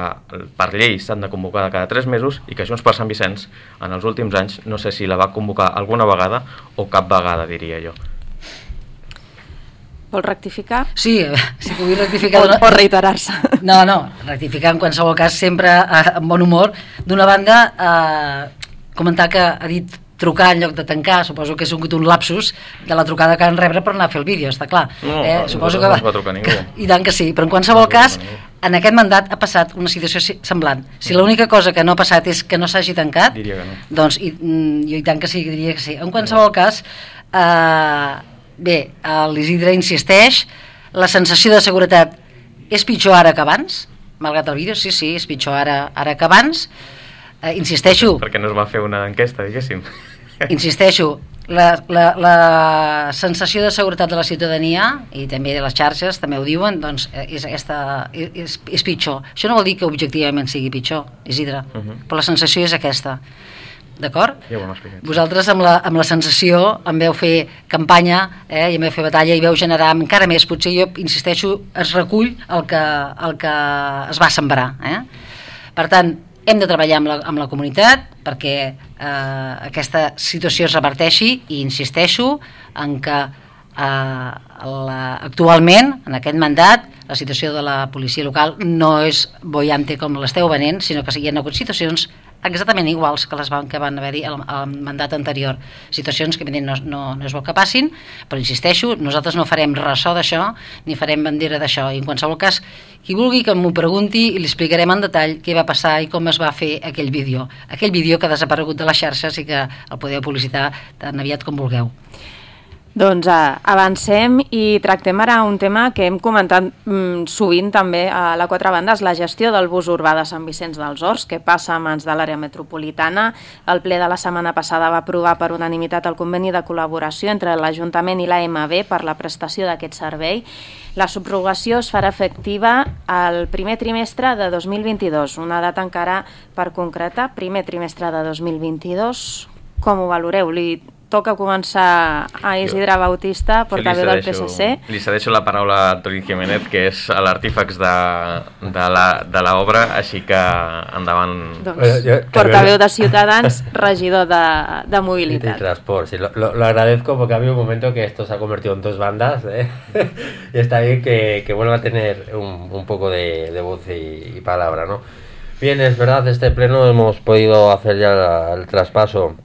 per llei s'han de convocar cada tres mesos i que Junts per Sant Vicenç en els últims anys no sé si la va convocar alguna vegada o cap vegada, diria jo. Vol rectificar? Sí, si pugui rectificar... O, o reiterar-se. No, no, rectificar en qualsevol cas sempre eh, amb bon humor. D'una banda, eh, comentar que ha dit trucar en lloc de tancar, suposo que és un, un lapsus de la trucada que van rebre per anar a fer el vídeo, està clar. No, eh, no, suposo no que va, es va trucar ningú. I tant que sí, però en qualsevol no cas, en aquest mandat ha passat una situació semblant. Si l'única cosa que no ha passat és que no s'hagi tancat, diria que no. Doncs i, jo i tant que sí, diria que sí. En qualsevol cas, eh, bé, l'Isidre insisteix, la sensació de seguretat és pitjor ara que abans, malgrat el vídeo, sí, sí, és pitjor ara, ara que abans. Eh, insisteixo... Perquè no es va fer una enquesta, diguéssim. Insisteixo, la, la, la sensació de seguretat de la ciutadania i també de les xarxes, també ho diuen, doncs és, aquesta, és, és pitjor. Això no vol dir que objectivament sigui pitjor, Isidre, uh -huh. però la sensació és aquesta. D'acord? Ja ho hem explicat. Vosaltres amb la, amb la sensació em veu fer campanya eh, i em veu fer batalla i veu generar encara més, potser jo insisteixo, es recull el que, el que es va sembrar. Eh? Per tant, hem de treballar amb la, amb la comunitat perquè eh, aquesta situació es reverteixi i insisteixo en que eh, la, actualment, en aquest mandat, la situació de la policia local no és boiante com l'esteu venent, sinó que hi ha hagut situacions exactament iguals que les van, que van haver-hi al, al mandat anterior. Situacions que no, no, no és bo que passin, però insisteixo, nosaltres no farem ressò d'això, ni farem bandera d'això. I en qualsevol cas, qui vulgui que m'ho pregunti i li explicarem en detall què va passar i com es va fer aquell vídeo. Aquell vídeo que ha desaparegut de les xarxes i que el podeu publicitar tan aviat com vulgueu. Doncs uh, avancem i tractem ara un tema que hem comentat mm, sovint també a la Quatre Bandes, la gestió del bus urbà de Sant Vicenç dels Horts, que passa a mans de l'àrea metropolitana. El ple de la setmana passada va aprovar per unanimitat el conveni de col·laboració entre l'Ajuntament i l'A M B per la prestació d'aquest servei. La subrogació es farà efectiva al primer trimestre de dos mil vint-i-dos, una data encara per concretar, primer trimestre de dos mil vint-i-dos. Com ho valoreu? Li toca començar a Isidre Bautista, portaveu del P S C. Li cedeixo la paraula a Antoni Jiménez, que és l'artífex de, de l'obra, així que endavant. Doncs, portaveu de Ciutadans, regidor de, de mobilitat. De transport, sí, lo, lo, lo agradezco porque ha habido un momento que esto se ha convertido en dos bandas, ¿eh? Y está bien que, que vuelva a tener un, un poco de, de voz y, y palabra, ¿no? Bien, es verdad, este pleno hemos podido hacer ya la, el traspaso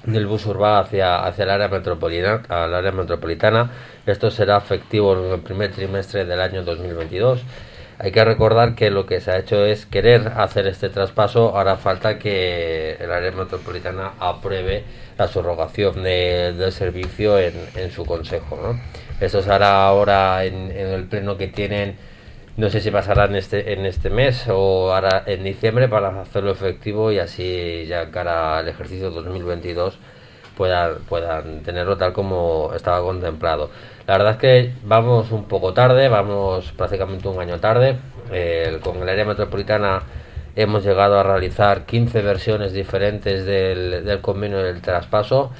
del bus urbà hacia, hacia el área metropolitana, al área metropolitana. Esto será efectivo en el primer trimestre del año dos mil veintidós. Hay que recordar que lo que se ha hecho es querer hacer este traspaso. Ahora falta que el área metropolitana apruebe la subrogación de, del servicio en, en su consejo, ¿no? Esto se hará ahora en, en el pleno que tienen. No sé si pasará en este, en este mes o ahora en diciembre para hacerlo efectivo y así ya cara al ejercicio dos mil veintidós puedan, puedan tenerlo tal como estaba contemplado. La verdad es que vamos un poco tarde, vamos prácticamente un año tarde. Eh, con el área metropolitana hemos llegado a realizar quince versiones diferentes del, del convenio del traspaso.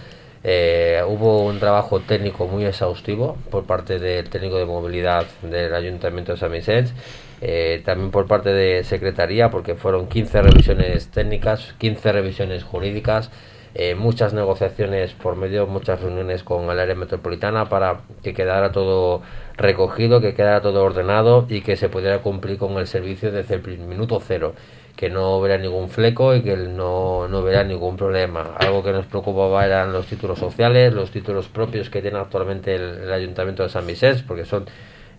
Eh, hubo un trabajo técnico muy exhaustivo por parte del técnico de movilidad del Ayuntamiento de Sant Vicenç, eh, también por parte de Secretaría, porque fueron quince revisiones técnicas, quince revisiones jurídicas, eh, muchas negociaciones por medio, muchas reuniones con el área metropolitana para que quedara todo recogido, que quedara todo ordenado y que se pudiera cumplir con el servicio desde el minuto cero, que no hubiera ningún fleco y que no, no hubiera ningún problema. Algo que nos preocupaba eran los títulos sociales, los títulos propios que tiene actualmente el, el Ayuntamiento de Sant Vicenç, porque son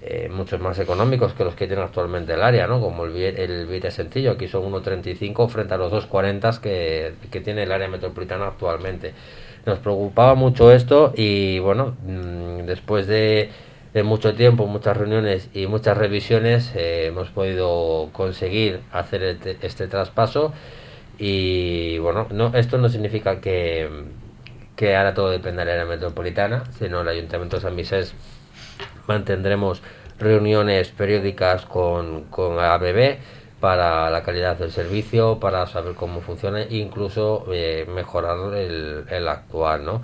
eh, muchos más económicos que los que tiene actualmente el área, ¿no? Como el billete, el billete sencillo, aquí son uno treinta y cinco frente a los dos cuarenta que, que tiene el área metropolitana actualmente. Nos preocupaba mucho esto y bueno, mmm, después de de mucho tiempo, muchas reuniones y muchas revisiones, eh, hemos podido conseguir hacer este, este traspaso y bueno, no, esto no significa que, que ahora todo dependa de la área metropolitana, sino el Ayuntamiento de Sant Vicenç mantendremos reuniones periódicas con, con A B B para la calidad del servicio, para saber cómo funciona e incluso eh, mejorar el, el actual, ¿no?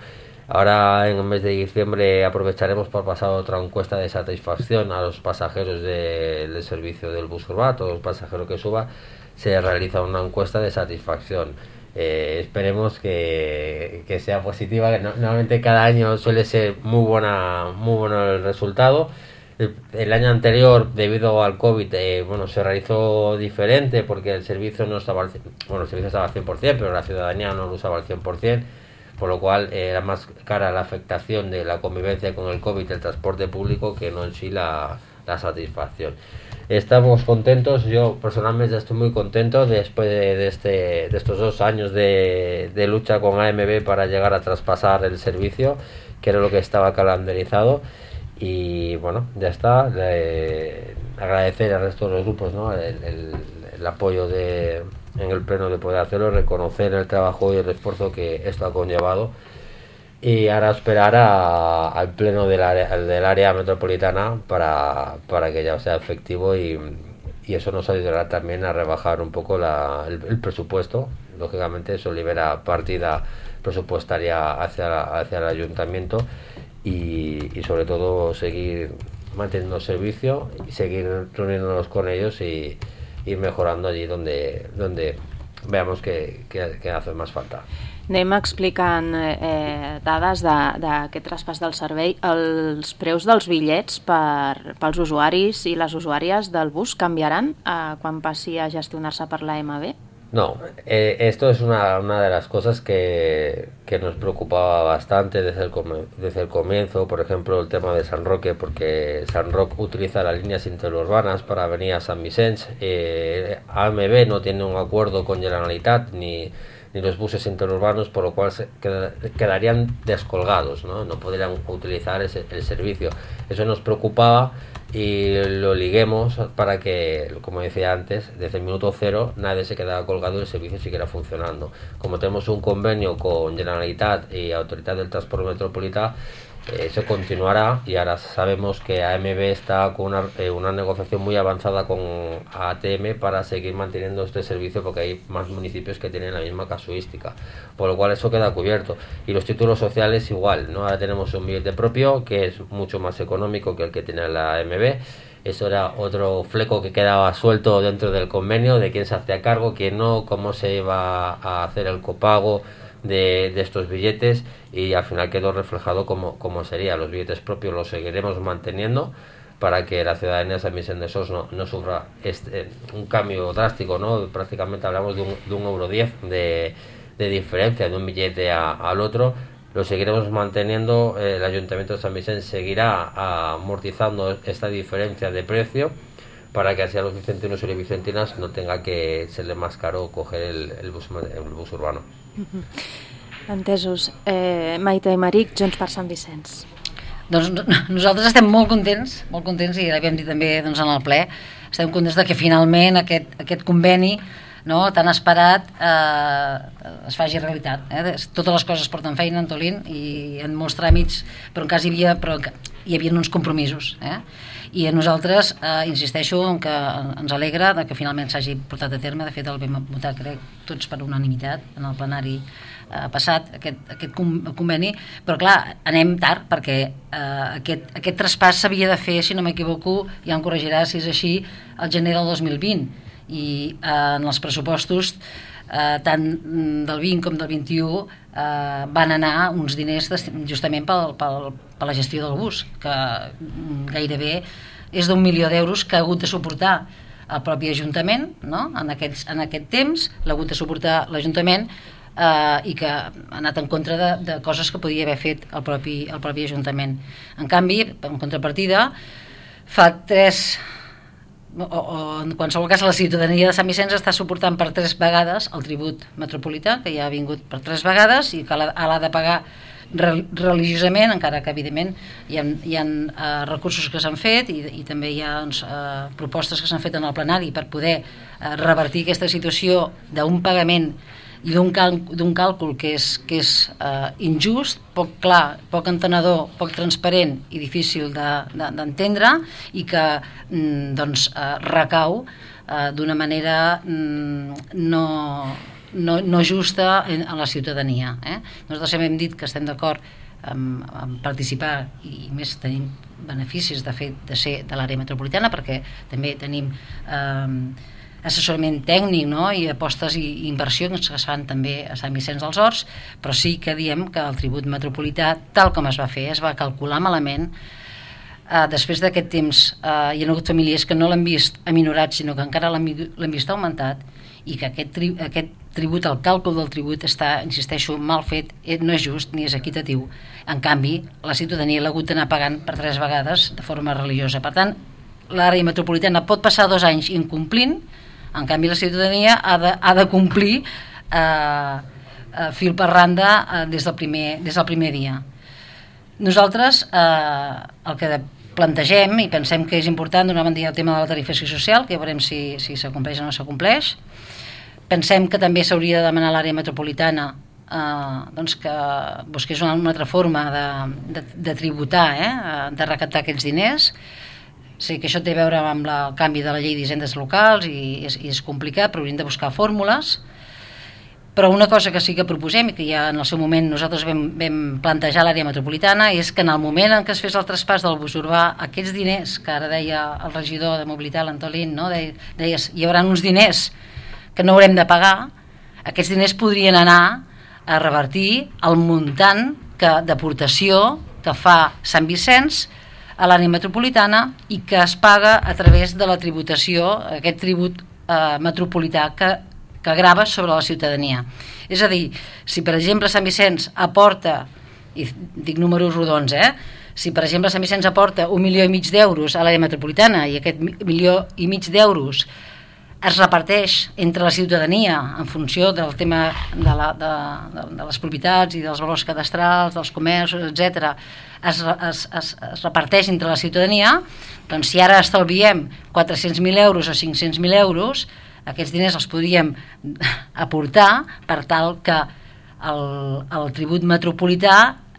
Ahora en el mes de diciembre aprovecharemos para pasar otra encuesta de satisfacción a los pasajeros de, del servicio del bus urbà. Todos los pasajeros que suba se realiza una encuesta de satisfacción. Eh, esperemos que, que sea positiva, que no, normalmente cada año suele ser muy buena, muy bueno el resultado. El, el año anterior, debido al COVID, eh, bueno, se realizó diferente porque el servicio no estaba al, bueno, el servicio estaba al cien por ciento, pero la ciudadanía no lo usaba al cien por ciento. Por lo cual eh, era más cara la afectación de la convivencia con el COVID del transporte público que no en sí la, la satisfacción. Estamos contentos, yo personalmente estoy muy contento después de, de, este, de estos dos años de, de lucha con A M B para llegar a traspasar el servicio, que era lo que estaba calendarizado. Y bueno, ya está. Eh, agradecer al resto de los grupos, ¿no? el, el, el apoyo de, en el pleno de poder hacerlo, reconocer el trabajo y el esfuerzo que esto ha conllevado, y ahora esperar a, al pleno del área, del área metropolitana para, para que ya sea efectivo, y, y eso nos ayudará también a rebajar un poco la, el, el presupuesto. Lógicamente eso libera partida presupuestaria hacia, hacia el ayuntamiento, y, y sobre todo seguir manteniendo el servicio y seguir reuniéndonos con ellos y ir mejorando allí donde, donde veamos que, que, que hace más falta. Anem explicant eh, dades d'aquest traspàs del servei. Els preus dels bitllets per, pels usuaris i les usuàries del bus canviaran eh, quan passi a gestionar-se per la M B? No, eh, esto es una, una de las cosas que, que nos preocupaba bastante desde el, desde el comienzo. Por ejemplo, el tema de San Roque, porque San Roque utiliza las líneas interurbanas para venir a San Vicente. eh, A M B no tiene un acuerdo con Generalitat ni, ni los buses interurbanos, por lo cual se qued, quedarían descolgados, ¿no? No podrían utilizar ese, el servicio. Eso nos preocupaba, y lo liguemos para que, como decía antes, desde el minuto cero nadie se quedara colgado y el servicio siguiera funcionando. Como tenemos un convenio con Generalitat y Autoridad del Transporte Metropolitano, eh, eso continuará, y ahora sabemos que A M B está con una, eh, una negociación muy avanzada con A T M para seguir manteniendo este servicio, porque hay más municipios que tienen la misma casuística, por lo cual eso queda cubierto. Y los títulos sociales igual, ¿no? Ahora tenemos un billete propio que es mucho más económico que el que tiene la A M B. Eso era otro fleco que quedaba suelto dentro del convenio, de quién se hacía cargo, quién no, cómo se iba a hacer el copago de, de estos billetes, y al final quedó reflejado como, como sería. Los billetes propios los seguiremos manteniendo para que la ciudadanía de San Vicente de Sos no, no sufra este, un cambio drástico, ¿no? Prácticamente hablamos de un, de un euro diez de, de diferencia de un billete a, al otro. Lo seguiremos manteniendo. El Ayuntamiento de San Vicente seguirá amortizando esta diferencia de precio para que así a los vicentinos y las vicentinas no tenga que serle más caro coger el, el, bus, el bus urbano. Uh-huh. Entesos. Eh, Maite i Maric, Junts per Sant Vicenç. Doncs nosaltres estem molt contents, molt contents, i l'havíem dit també doncs, en el ple, estem contents de que finalment aquest, aquest conveni, no, tan esperat, eh, es faci realitat. Eh? Totes les coses porten feina, Antolín, i en molts tràmits, però en cas hi havia, però hi havia uns compromisos. Eh? I a nosaltres, eh, insisteixo, en que ens alegra de que finalment s'hagi portat a terme. De fet, el vam votar, crec, tots per unanimitat en el plenari eh, passat, aquest, aquest conveni, però clar, anem tard, perquè eh, aquest, aquest traspàs s'havia de fer, si no m'equivoco, ja em corregirà si és així, al gener del dos mil vint, i eh, en els pressupostos eh, tant del vint com del vint-i-u eh, van anar uns diners justament pel, pel, per la gestió del bus, que gairebé és d'un milió d'euros que ha hagut de suportar el propi Ajuntament, no? en, aquests, en aquest temps l'ha hagut de suportar l'Ajuntament, eh, i que ha anat en contra de, de coses que podia haver fet el propi, el propi Ajuntament. En canvi, en contrapartida, fa tres... O, o en qualsevol cas la ciutadania de Sant Vicenç està suportant per tres vegades el tribut metropolità, que ja ha vingut per tres vegades i que l'ha de pagar religiosament, encara que evidentment hi ha, hi ha uh, recursos que s'han fet, i, i també hi ha doncs, uh, propostes que s'han fet en el plenari per poder uh, revertir aquesta situació d'un pagament i d'un cal, d'un càlcul que és, que és uh, injust, poc clar, poc entenedor, poc transparent i difícil d'entendre, de, de, i que mm, doncs, uh, recau uh, d'una manera mm, no, no, no justa en, en la ciutadania. Eh? Nosaltres hem dit que estem d'acord en, en participar, i més tenim beneficis de fet de ser de l'àrea metropolitana, perquè també tenim eh, assessorament tècnic, no? I apostes i inversions que es fan també a Sant Vicenç dels Horts, però sí que diem que el tribut metropolità, tal com es va fer, es va calcular malament. Eh, després d'aquest temps eh, hi ha hagut famílies que no l'han vist aminorat, sinó que encara l'han vist augmentat, i que aquest, tri aquest tribut, el càlcul del tribut està, insisteixo, mal fet, no és just ni és equitatiu. En canvi, la ciutadania l'ha hagut d'anar pagant per tres vegades de forma religiosa. Per tant, l'àrea metropolitana pot passar dos anys incomplint. En canvi, la ciutadania ha de, ha de complir eh, eh, fil per randa eh, des, del primer, des del primer dia. Nosaltres eh, el que plantegem i pensem que és important donar banda al tema de la tarifació social, que ja veurem si, si s'acompleix o no s'acompleix. Pensem que també s'hauria de demanar a l'àrea metropolitana eh, doncs que busqués una, una altra forma de, de, de tributar, eh, de recaptar aquells diners. Sé que això té a veure amb la, el canvi de la llei d'hisendes locals i és, i és complicat, però hauríem de buscar fórmules. Però una cosa que sí que proposem i que ja en el seu moment nosaltres vam, vam plantejar a l'àrea metropolitana és que en el moment en què es fes el traspàs del bus urbà, aquests diners, que ara deia el regidor de mobilitat, l'Antolín, no? deia, deies, hi haurà uns diners que no haurem de pagar, aquests diners podrien anar a revertir el muntant d'aportació que fa Sant Vicenç a l'àrea metropolitana i que es paga a través de la tributació, aquest tribut eh, metropolità que que grava sobre la ciutadania. És a dir, si per exemple Sant Vicenç aporta, i dic números rodons, eh? si per exemple Sant Vicenç aporta un milió i mig d'euros a l'àrea metropolitana i aquest milió i mig d'euros es reparteix entre la ciutadania en funció del tema de, la, de, de, de les propietats i dels valors cadastrals, dels comerços, etcètera, es, es, es, es reparteix entre la ciutadania, doncs si ara estalviem quatre-cents mil euros o cinc-cents mil euros, aquests diners els podríem aportar per tal que el, el tribut metropolità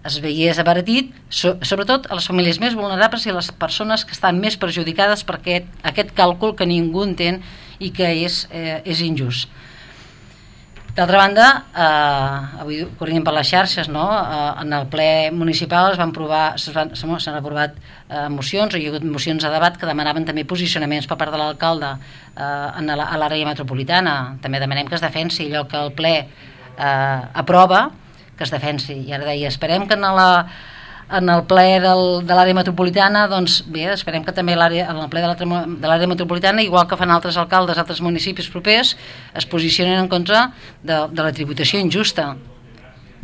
es veiés abaratit, so, sobretot a les famílies més vulnerables i a les persones que estan més perjudicades per aquest, aquest càlcul que ningú entén i que és, eh, és injust. D'altra banda, eh, avui corrien per les xarxes, no? eh, en el ple municipal es van provar, s'han aprovat eh, mocions, o hi ha hagut mocions a debat que demanaven també posicionaments per part de l'alcalde eh, a l'àrea metropolitana. També demanem que es defensi allò que el ple eh, aprova, que es defensi. I ara deia, esperem que en la en el ple del, de l'àrea metropolitana, doncs bé, esperem que també l'àrea, en el ple de l'àrea metropolitana, igual que fan altres alcaldes, altres municipis propers, es posicionen en contra de, de la tributació injusta.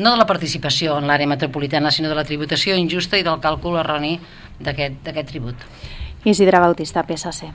No de la participació en l'àrea metropolitana, sinó de la tributació injusta i del càlcul erroni d'aquest tribut. Isidre Bautista, P S C.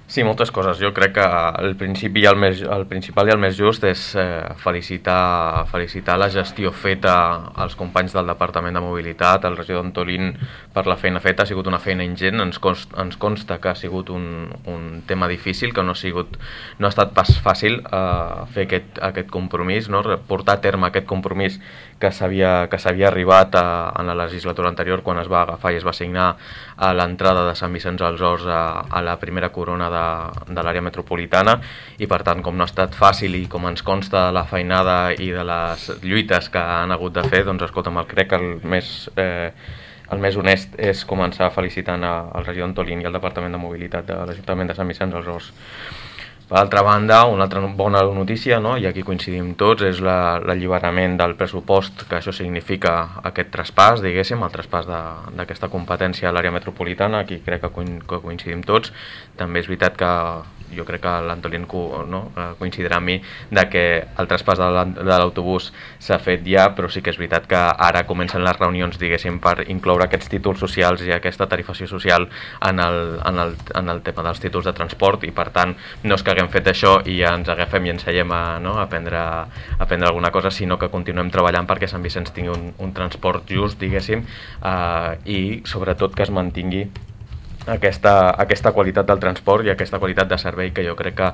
Sí, moltes coses. Jo crec que el principi i el, més, el principal i el més just és eh, felicitar, felicitar la gestió feta als companys del Departament de Mobilitat, al regidor Antolín per la feina feta. Ha sigut una feina ingent, ens consta, ens consta que ha sigut un, un tema difícil, que no ha, sigut, no ha estat pas fàcil eh, fer aquest, aquest compromís, no? Portar a terme aquest compromís que s'havia que s'havia arribat a, a la legislatura anterior quan es va agafar i es va signar a l'entrada de Sant Vicenç dels Horts a, a la primera corona de, de l'àrea metropolitana, i per tant, com no ha estat fàcil i com ens consta la feinada i de les lluites que han hagut de fer, doncs escolta'm, crec que el més, eh, el més honest és començar felicitant al regidor Antolín i al Departament de Mobilitat de l'Ajuntament de Sant Vicenç dels Horts. Per altra banda, una altra bona notícia, no? I aquí coincidim tots, és l'alliberament del pressupost, que això significa aquest traspàs, diguéssim, el traspàs d'aquesta competència a l'àrea metropolitana. Aquí crec que coincidim tots. També és veritat que jo crec que l'Antolín no, coincidirà amb mi de que el traspàs de l'autobús s'ha fet ja, però sí que és veritat que ara comencen les reunions, diguéssim, per incloure aquests títols socials i aquesta tarifació social en el, en el, en el tema dels títols de transport, i per tant no és que haguem fet això i ja ens agafem i ens seiem a, no, a, prendre, a prendre alguna cosa, sinó que continuem treballant perquè Sant Vicenç tingui un, un transport just, diguéssim, eh, i sobretot que es mantingui Aquesta, aquesta qualitat del transport i aquesta qualitat de servei, que jo crec que,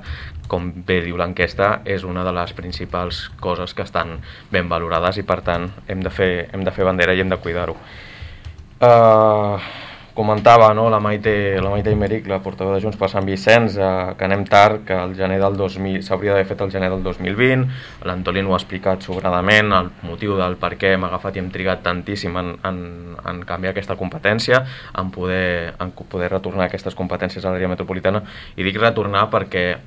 com bé diu l'enquesta, és una de les principals coses que estan ben valorades, i per tant hem de fer, hem de fer bandera i hem de cuidar-ho. Uh, comentava, no, la Maite, la Maite Imeric, la portaveu de Junts per Sant Vicenç, eh, que anem tard, que el gener del dos mil s'hauria d'haver fet el gener del dos mil vint. L'Antolín ho ha explicat sobradament, el motiu del per què hem agafat i hem trigat tantíssim en, en, en canviar aquesta competència, en poder, en poder retornar aquestes competències a l'àrea metropolitana. I dic retornar perquè,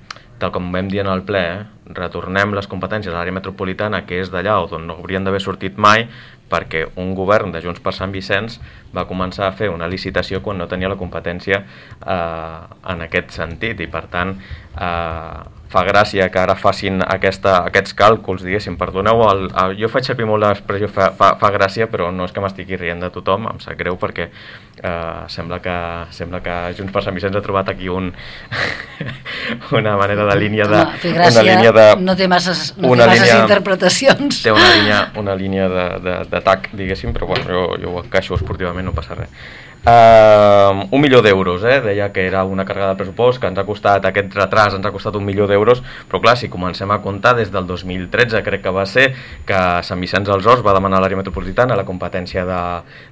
tal com vam dir en el ple, eh, retornem les competències a l'àrea metropolitana, que és d'allà on no haurien d'haver sortit mai, perquè un govern de Junts per Sant Vicenç va començar a fer una licitació quan no tenia la competència eh, en aquest sentit, i per tant eh, fa gràcia que ara facin aquesta, aquests càlculs, diguéssim, perdoneu, el, el, jo faig servir molt l'expressió fa, fa, fa gràcia, però no és que m'estigui rient de tothom, em sap greu perquè eh, sembla, que, sembla que Junts per Sant Vicenç ha trobat aquí un, una manera de línia de... Home, fer gràcia, una línia de, no té masses, no té masses línia, interpretacions. Té una línia, una línia de, de, d'atac, diguéssim, però bueno, jo, jo ho encaixo esportivament, no passa res. Uh, un milió d'euros, eh? Deia que era una càrrega de pressupost que ens ha costat, aquest retras ens ha costat un milió d'euros, però clar, si comencem a comptar des del dos mil tretze, crec que va ser que Sant Vicenç dels Horts va demanar a l'àrea metropolitana la competència de,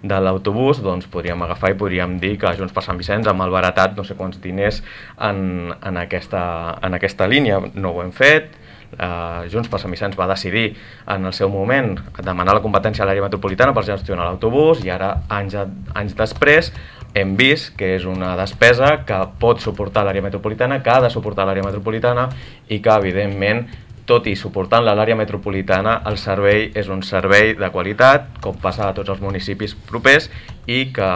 de l'autobús, doncs podríem agafar i podríem dir que Junts per Sant Vicenç ha malbaratat no sé quants diners en, en, aquesta, en aquesta línia. No ho hem fet. Uh, Junts per Sant Vicenç va decidir en el seu moment demanar la competència a l'àrea metropolitana per gestionar l'autobús, i ara, anys, anys després, hem vist que és una despesa que pot suportar l'àrea metropolitana, que ha de suportar l'àrea metropolitana, i que, evidentment, tot i suportant-la a l'àrea metropolitana, el servei és un servei de qualitat, com passa a tots els municipis propers, i que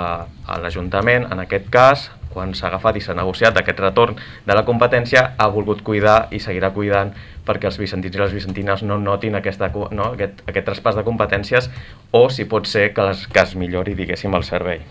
l'Ajuntament, en aquest cas, quan s'ha agafat i s'ha negociat aquest retorn de la competència, ha volgut cuidar i seguirà cuidant perquè els vicentins i les vicentines no notin aquesta, no, aquest, aquest traspàs de competències, o si pot ser que, les, que es millori, diguéssim, el servei.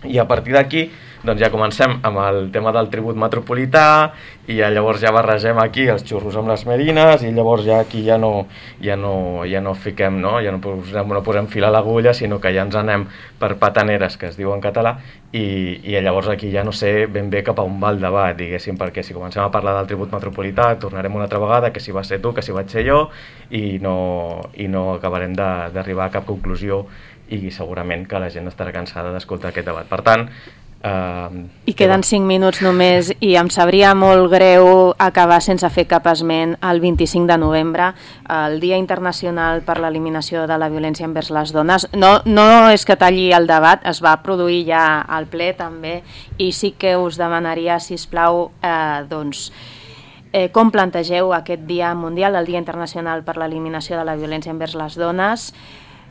I a partir d'aquí doncs ja comencem amb el tema del tribut metropolità, i ja llavors ja barregem aquí els xurros amb les merines, i llavors ja aquí ja no, ja no, ja no fiquem, no? Ja no posem, no posem fil a l'agulla, sinó que ja ens anem per pataneres, que es diu en català, i, i llavors aquí ja no sé ben bé cap a on va el debat, diguéssim, perquè si comencem a parlar del tribut metropolità tornarem una altra vegada, que si va ser tu, que si vaig ser jo, i no, i no acabarem d'arribar a cap conclusió, i segurament que la gent estarà cansada d'escoltar aquest debat. Per tant, Uh, I queden cinc minuts només, i em sabria molt greu acabar sense fer cap esment el vint-i-cinc de novembre, el Dia Internacional per l'Eliminació de la Violència envers les Dones. No, no és que talli el debat, es va produir ja al ple també, i sí que us demanaria, sisplau, eh, doncs, eh, com plantegeu aquest Dia Mundial, el Dia Internacional per l'Eliminació de la Violència envers les Dones,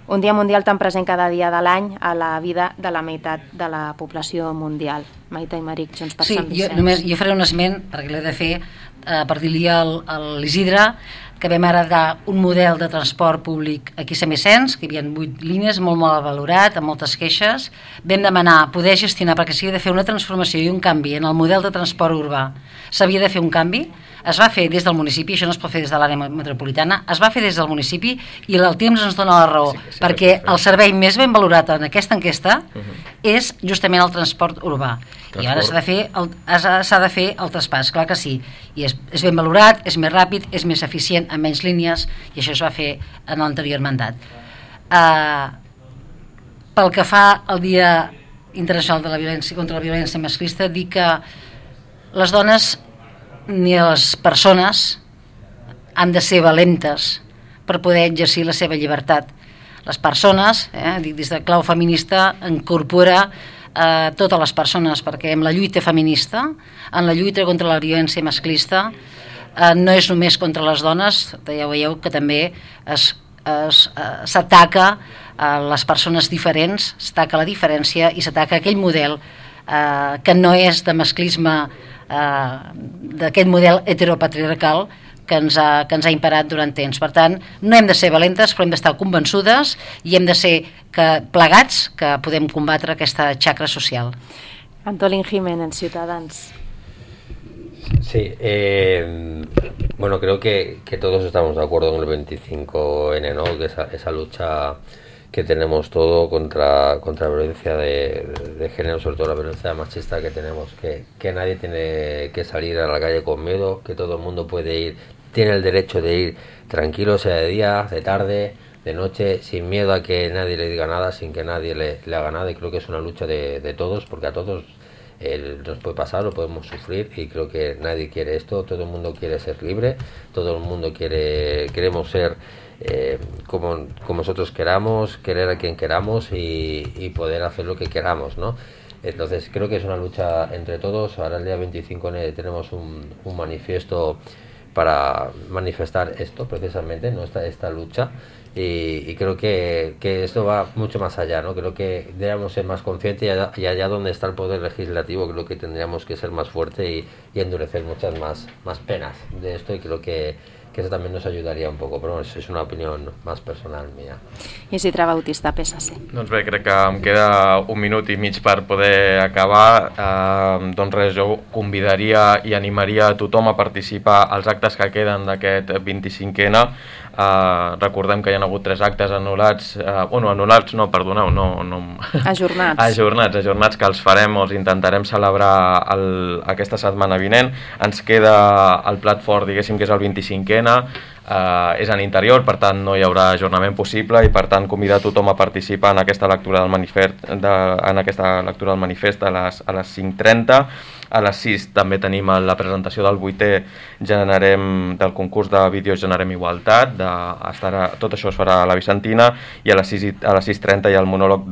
un dia mundial tan present cada dia de l'any a la vida de la meitat de la població mundial. Maite i Maric, Junts per Sant Vicenç. Sí, jo, només, jo faré un esment, perquè l'he de fer, eh, per dir-li a l'Isidre que vam heretar un model de transport públic aquí a Sant Vicenç, que hi havia vuit línies, molt mal valorat, amb moltes queixes. Vam demanar poder gestionar, perquè s'havia de fer una transformació i un canvi en el model de transport urbà. S'havia de fer un canvi, es va fer des del municipi, això no es pot fer des de l'àrea metropolitana, es va fer des del municipi, i el temps ens dona la raó, sí, sí, perquè el servei més ben valorat en aquesta enquesta uh -huh. és justament el transport urbà. Transport. I ara s'ha de fer el, s'ha de fer el traspàs, clar que sí, i és, és ben valorat, és més ràpid, és més eficient, amb menys línies, i això es va fer en l'anterior mandat. Uh, pel que fa al Dia Internacional de la Violència contra la Violència Masclista, dir que les dones ni les persones han de ser valentes per poder exercir la seva llibertat. Les persones, eh, dic des de clau feminista, incorpora eh, totes les persones, perquè en la lluita feminista, en la lluita contra la violència masclista, eh, no és només contra les dones, ja veieu que també s'ataca a les persones diferents, s'ataca la diferència i s'ataca aquell model eh, que no és de masclisme, Uh, d'aquest model heteropatriarcal que ens, ha, que ens ha imperat durant temps. Per tant, no hem de ser valentes, però hem d'estar convençudes, i hem de ser que, plegats, que podem combatre aquesta xacra social. Antolín Jiménez, Ciutadans. Sí, eh, bueno, creo que, que todos estamos de acuerdo con el veinticinco ene, ¿no? Que esa, esa lucha que tenemos todo contra, contra la violencia de, de género, sobre todo la violencia machista que tenemos, que, que nadie tiene que salir a la calle con miedo, que todo el mundo puede ir, tiene el derecho de ir tranquilo, sea de día, de tarde, de noche, sin miedo a que nadie le diga nada, sin que nadie le, le haga nada, y creo que es una lucha de, de todos, porque a todos eh, nos puede pasar, lo podemos sufrir, y creo que nadie quiere esto, todo el mundo quiere ser libre, todo el mundo quiere, queremos ser Eh, como, como nosotros queramos, querer a quien queramos y, y poder hacer lo que queramos, ¿no? Entonces creo que es una lucha entre todos. Ahora el día veinticinco tenemos un, un manifiesto para manifestar esto precisamente, ¿no? esta, esta lucha, y, y creo que, que esto va mucho más allá, ¿no? Creo que debemos ser más conscientes, y allá, y allá donde está el poder legislativo creo que tendríamos que ser más fuerte y, y endurecer muchas más, más penas de esto, y creo que que que eso también nos ayudaría un poco, pero es, es una opinión más personal mía. Isidre Bautista, P S C. Doncs bé, crec que em queda un minut i mig per poder acabar. Eh, doncs res, jo convidaria i animaria a tothom a participar als actes que queden d'aquest vint-i-cinquè ena. Uh, recordem que hi ha hagut tres actes anul·lats, uh, bueno, anul·lats no, perdoneu, no, no... Ajornats. ajornats, ajornats, que els farem o els intentarem celebrar el, aquesta setmana vinent. Ens queda el plat fort, diguéssim, que és el vint-i-cinquè ena, uh, és en interior, per tant no hi haurà ajornament possible i per tant convidar tothom a participar en aquesta lectura del manifest, de, en aquesta lectura del manifest a les, a les cinc trenta. A les sis també tenim la presentació del vuitè generem, del concurs de vídeos Generem Igualtat, de, estarà, tot això es farà a la Vicentina, i a les sis trenta hi ha el monòleg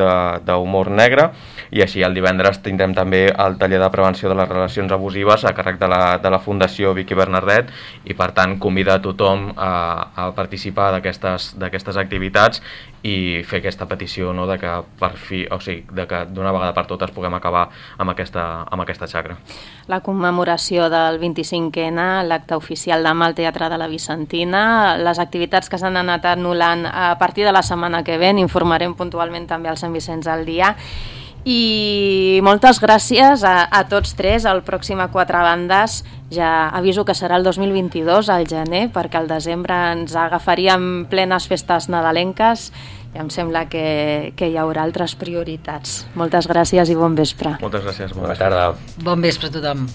d'humor negre, i així el divendres tindrem també el taller de prevenció de les relacions abusives a càrrec de la, de la Fundació Vicky Bernardet, i per tant convidar a tothom a, a participar d'aquestes activitats i fer aquesta petició, no, de que per fi, o sigui, de que d'una vegada per totes puguem acabar amb aquesta, amb aquesta xacra. La commemoració del vint-i-cinquè ena, l'acte oficial demà al Teatre de la Vicentina, les activitats que s'han anat anul·lant a partir de la setmana que ve, informarem puntualment també al Sant Vicenç al dia. I moltes gràcies a, a tots tres. El pròxim a Quatre Bandes ja aviso que serà el dos mil vint-i-dos, al gener, perquè al desembre ens agafaríem plenes festes nadalenques i em sembla que, que hi haurà altres prioritats. Moltes gràcies i bon vespre. Moltes gràcies. Bona tarda. Bon vespre a tothom.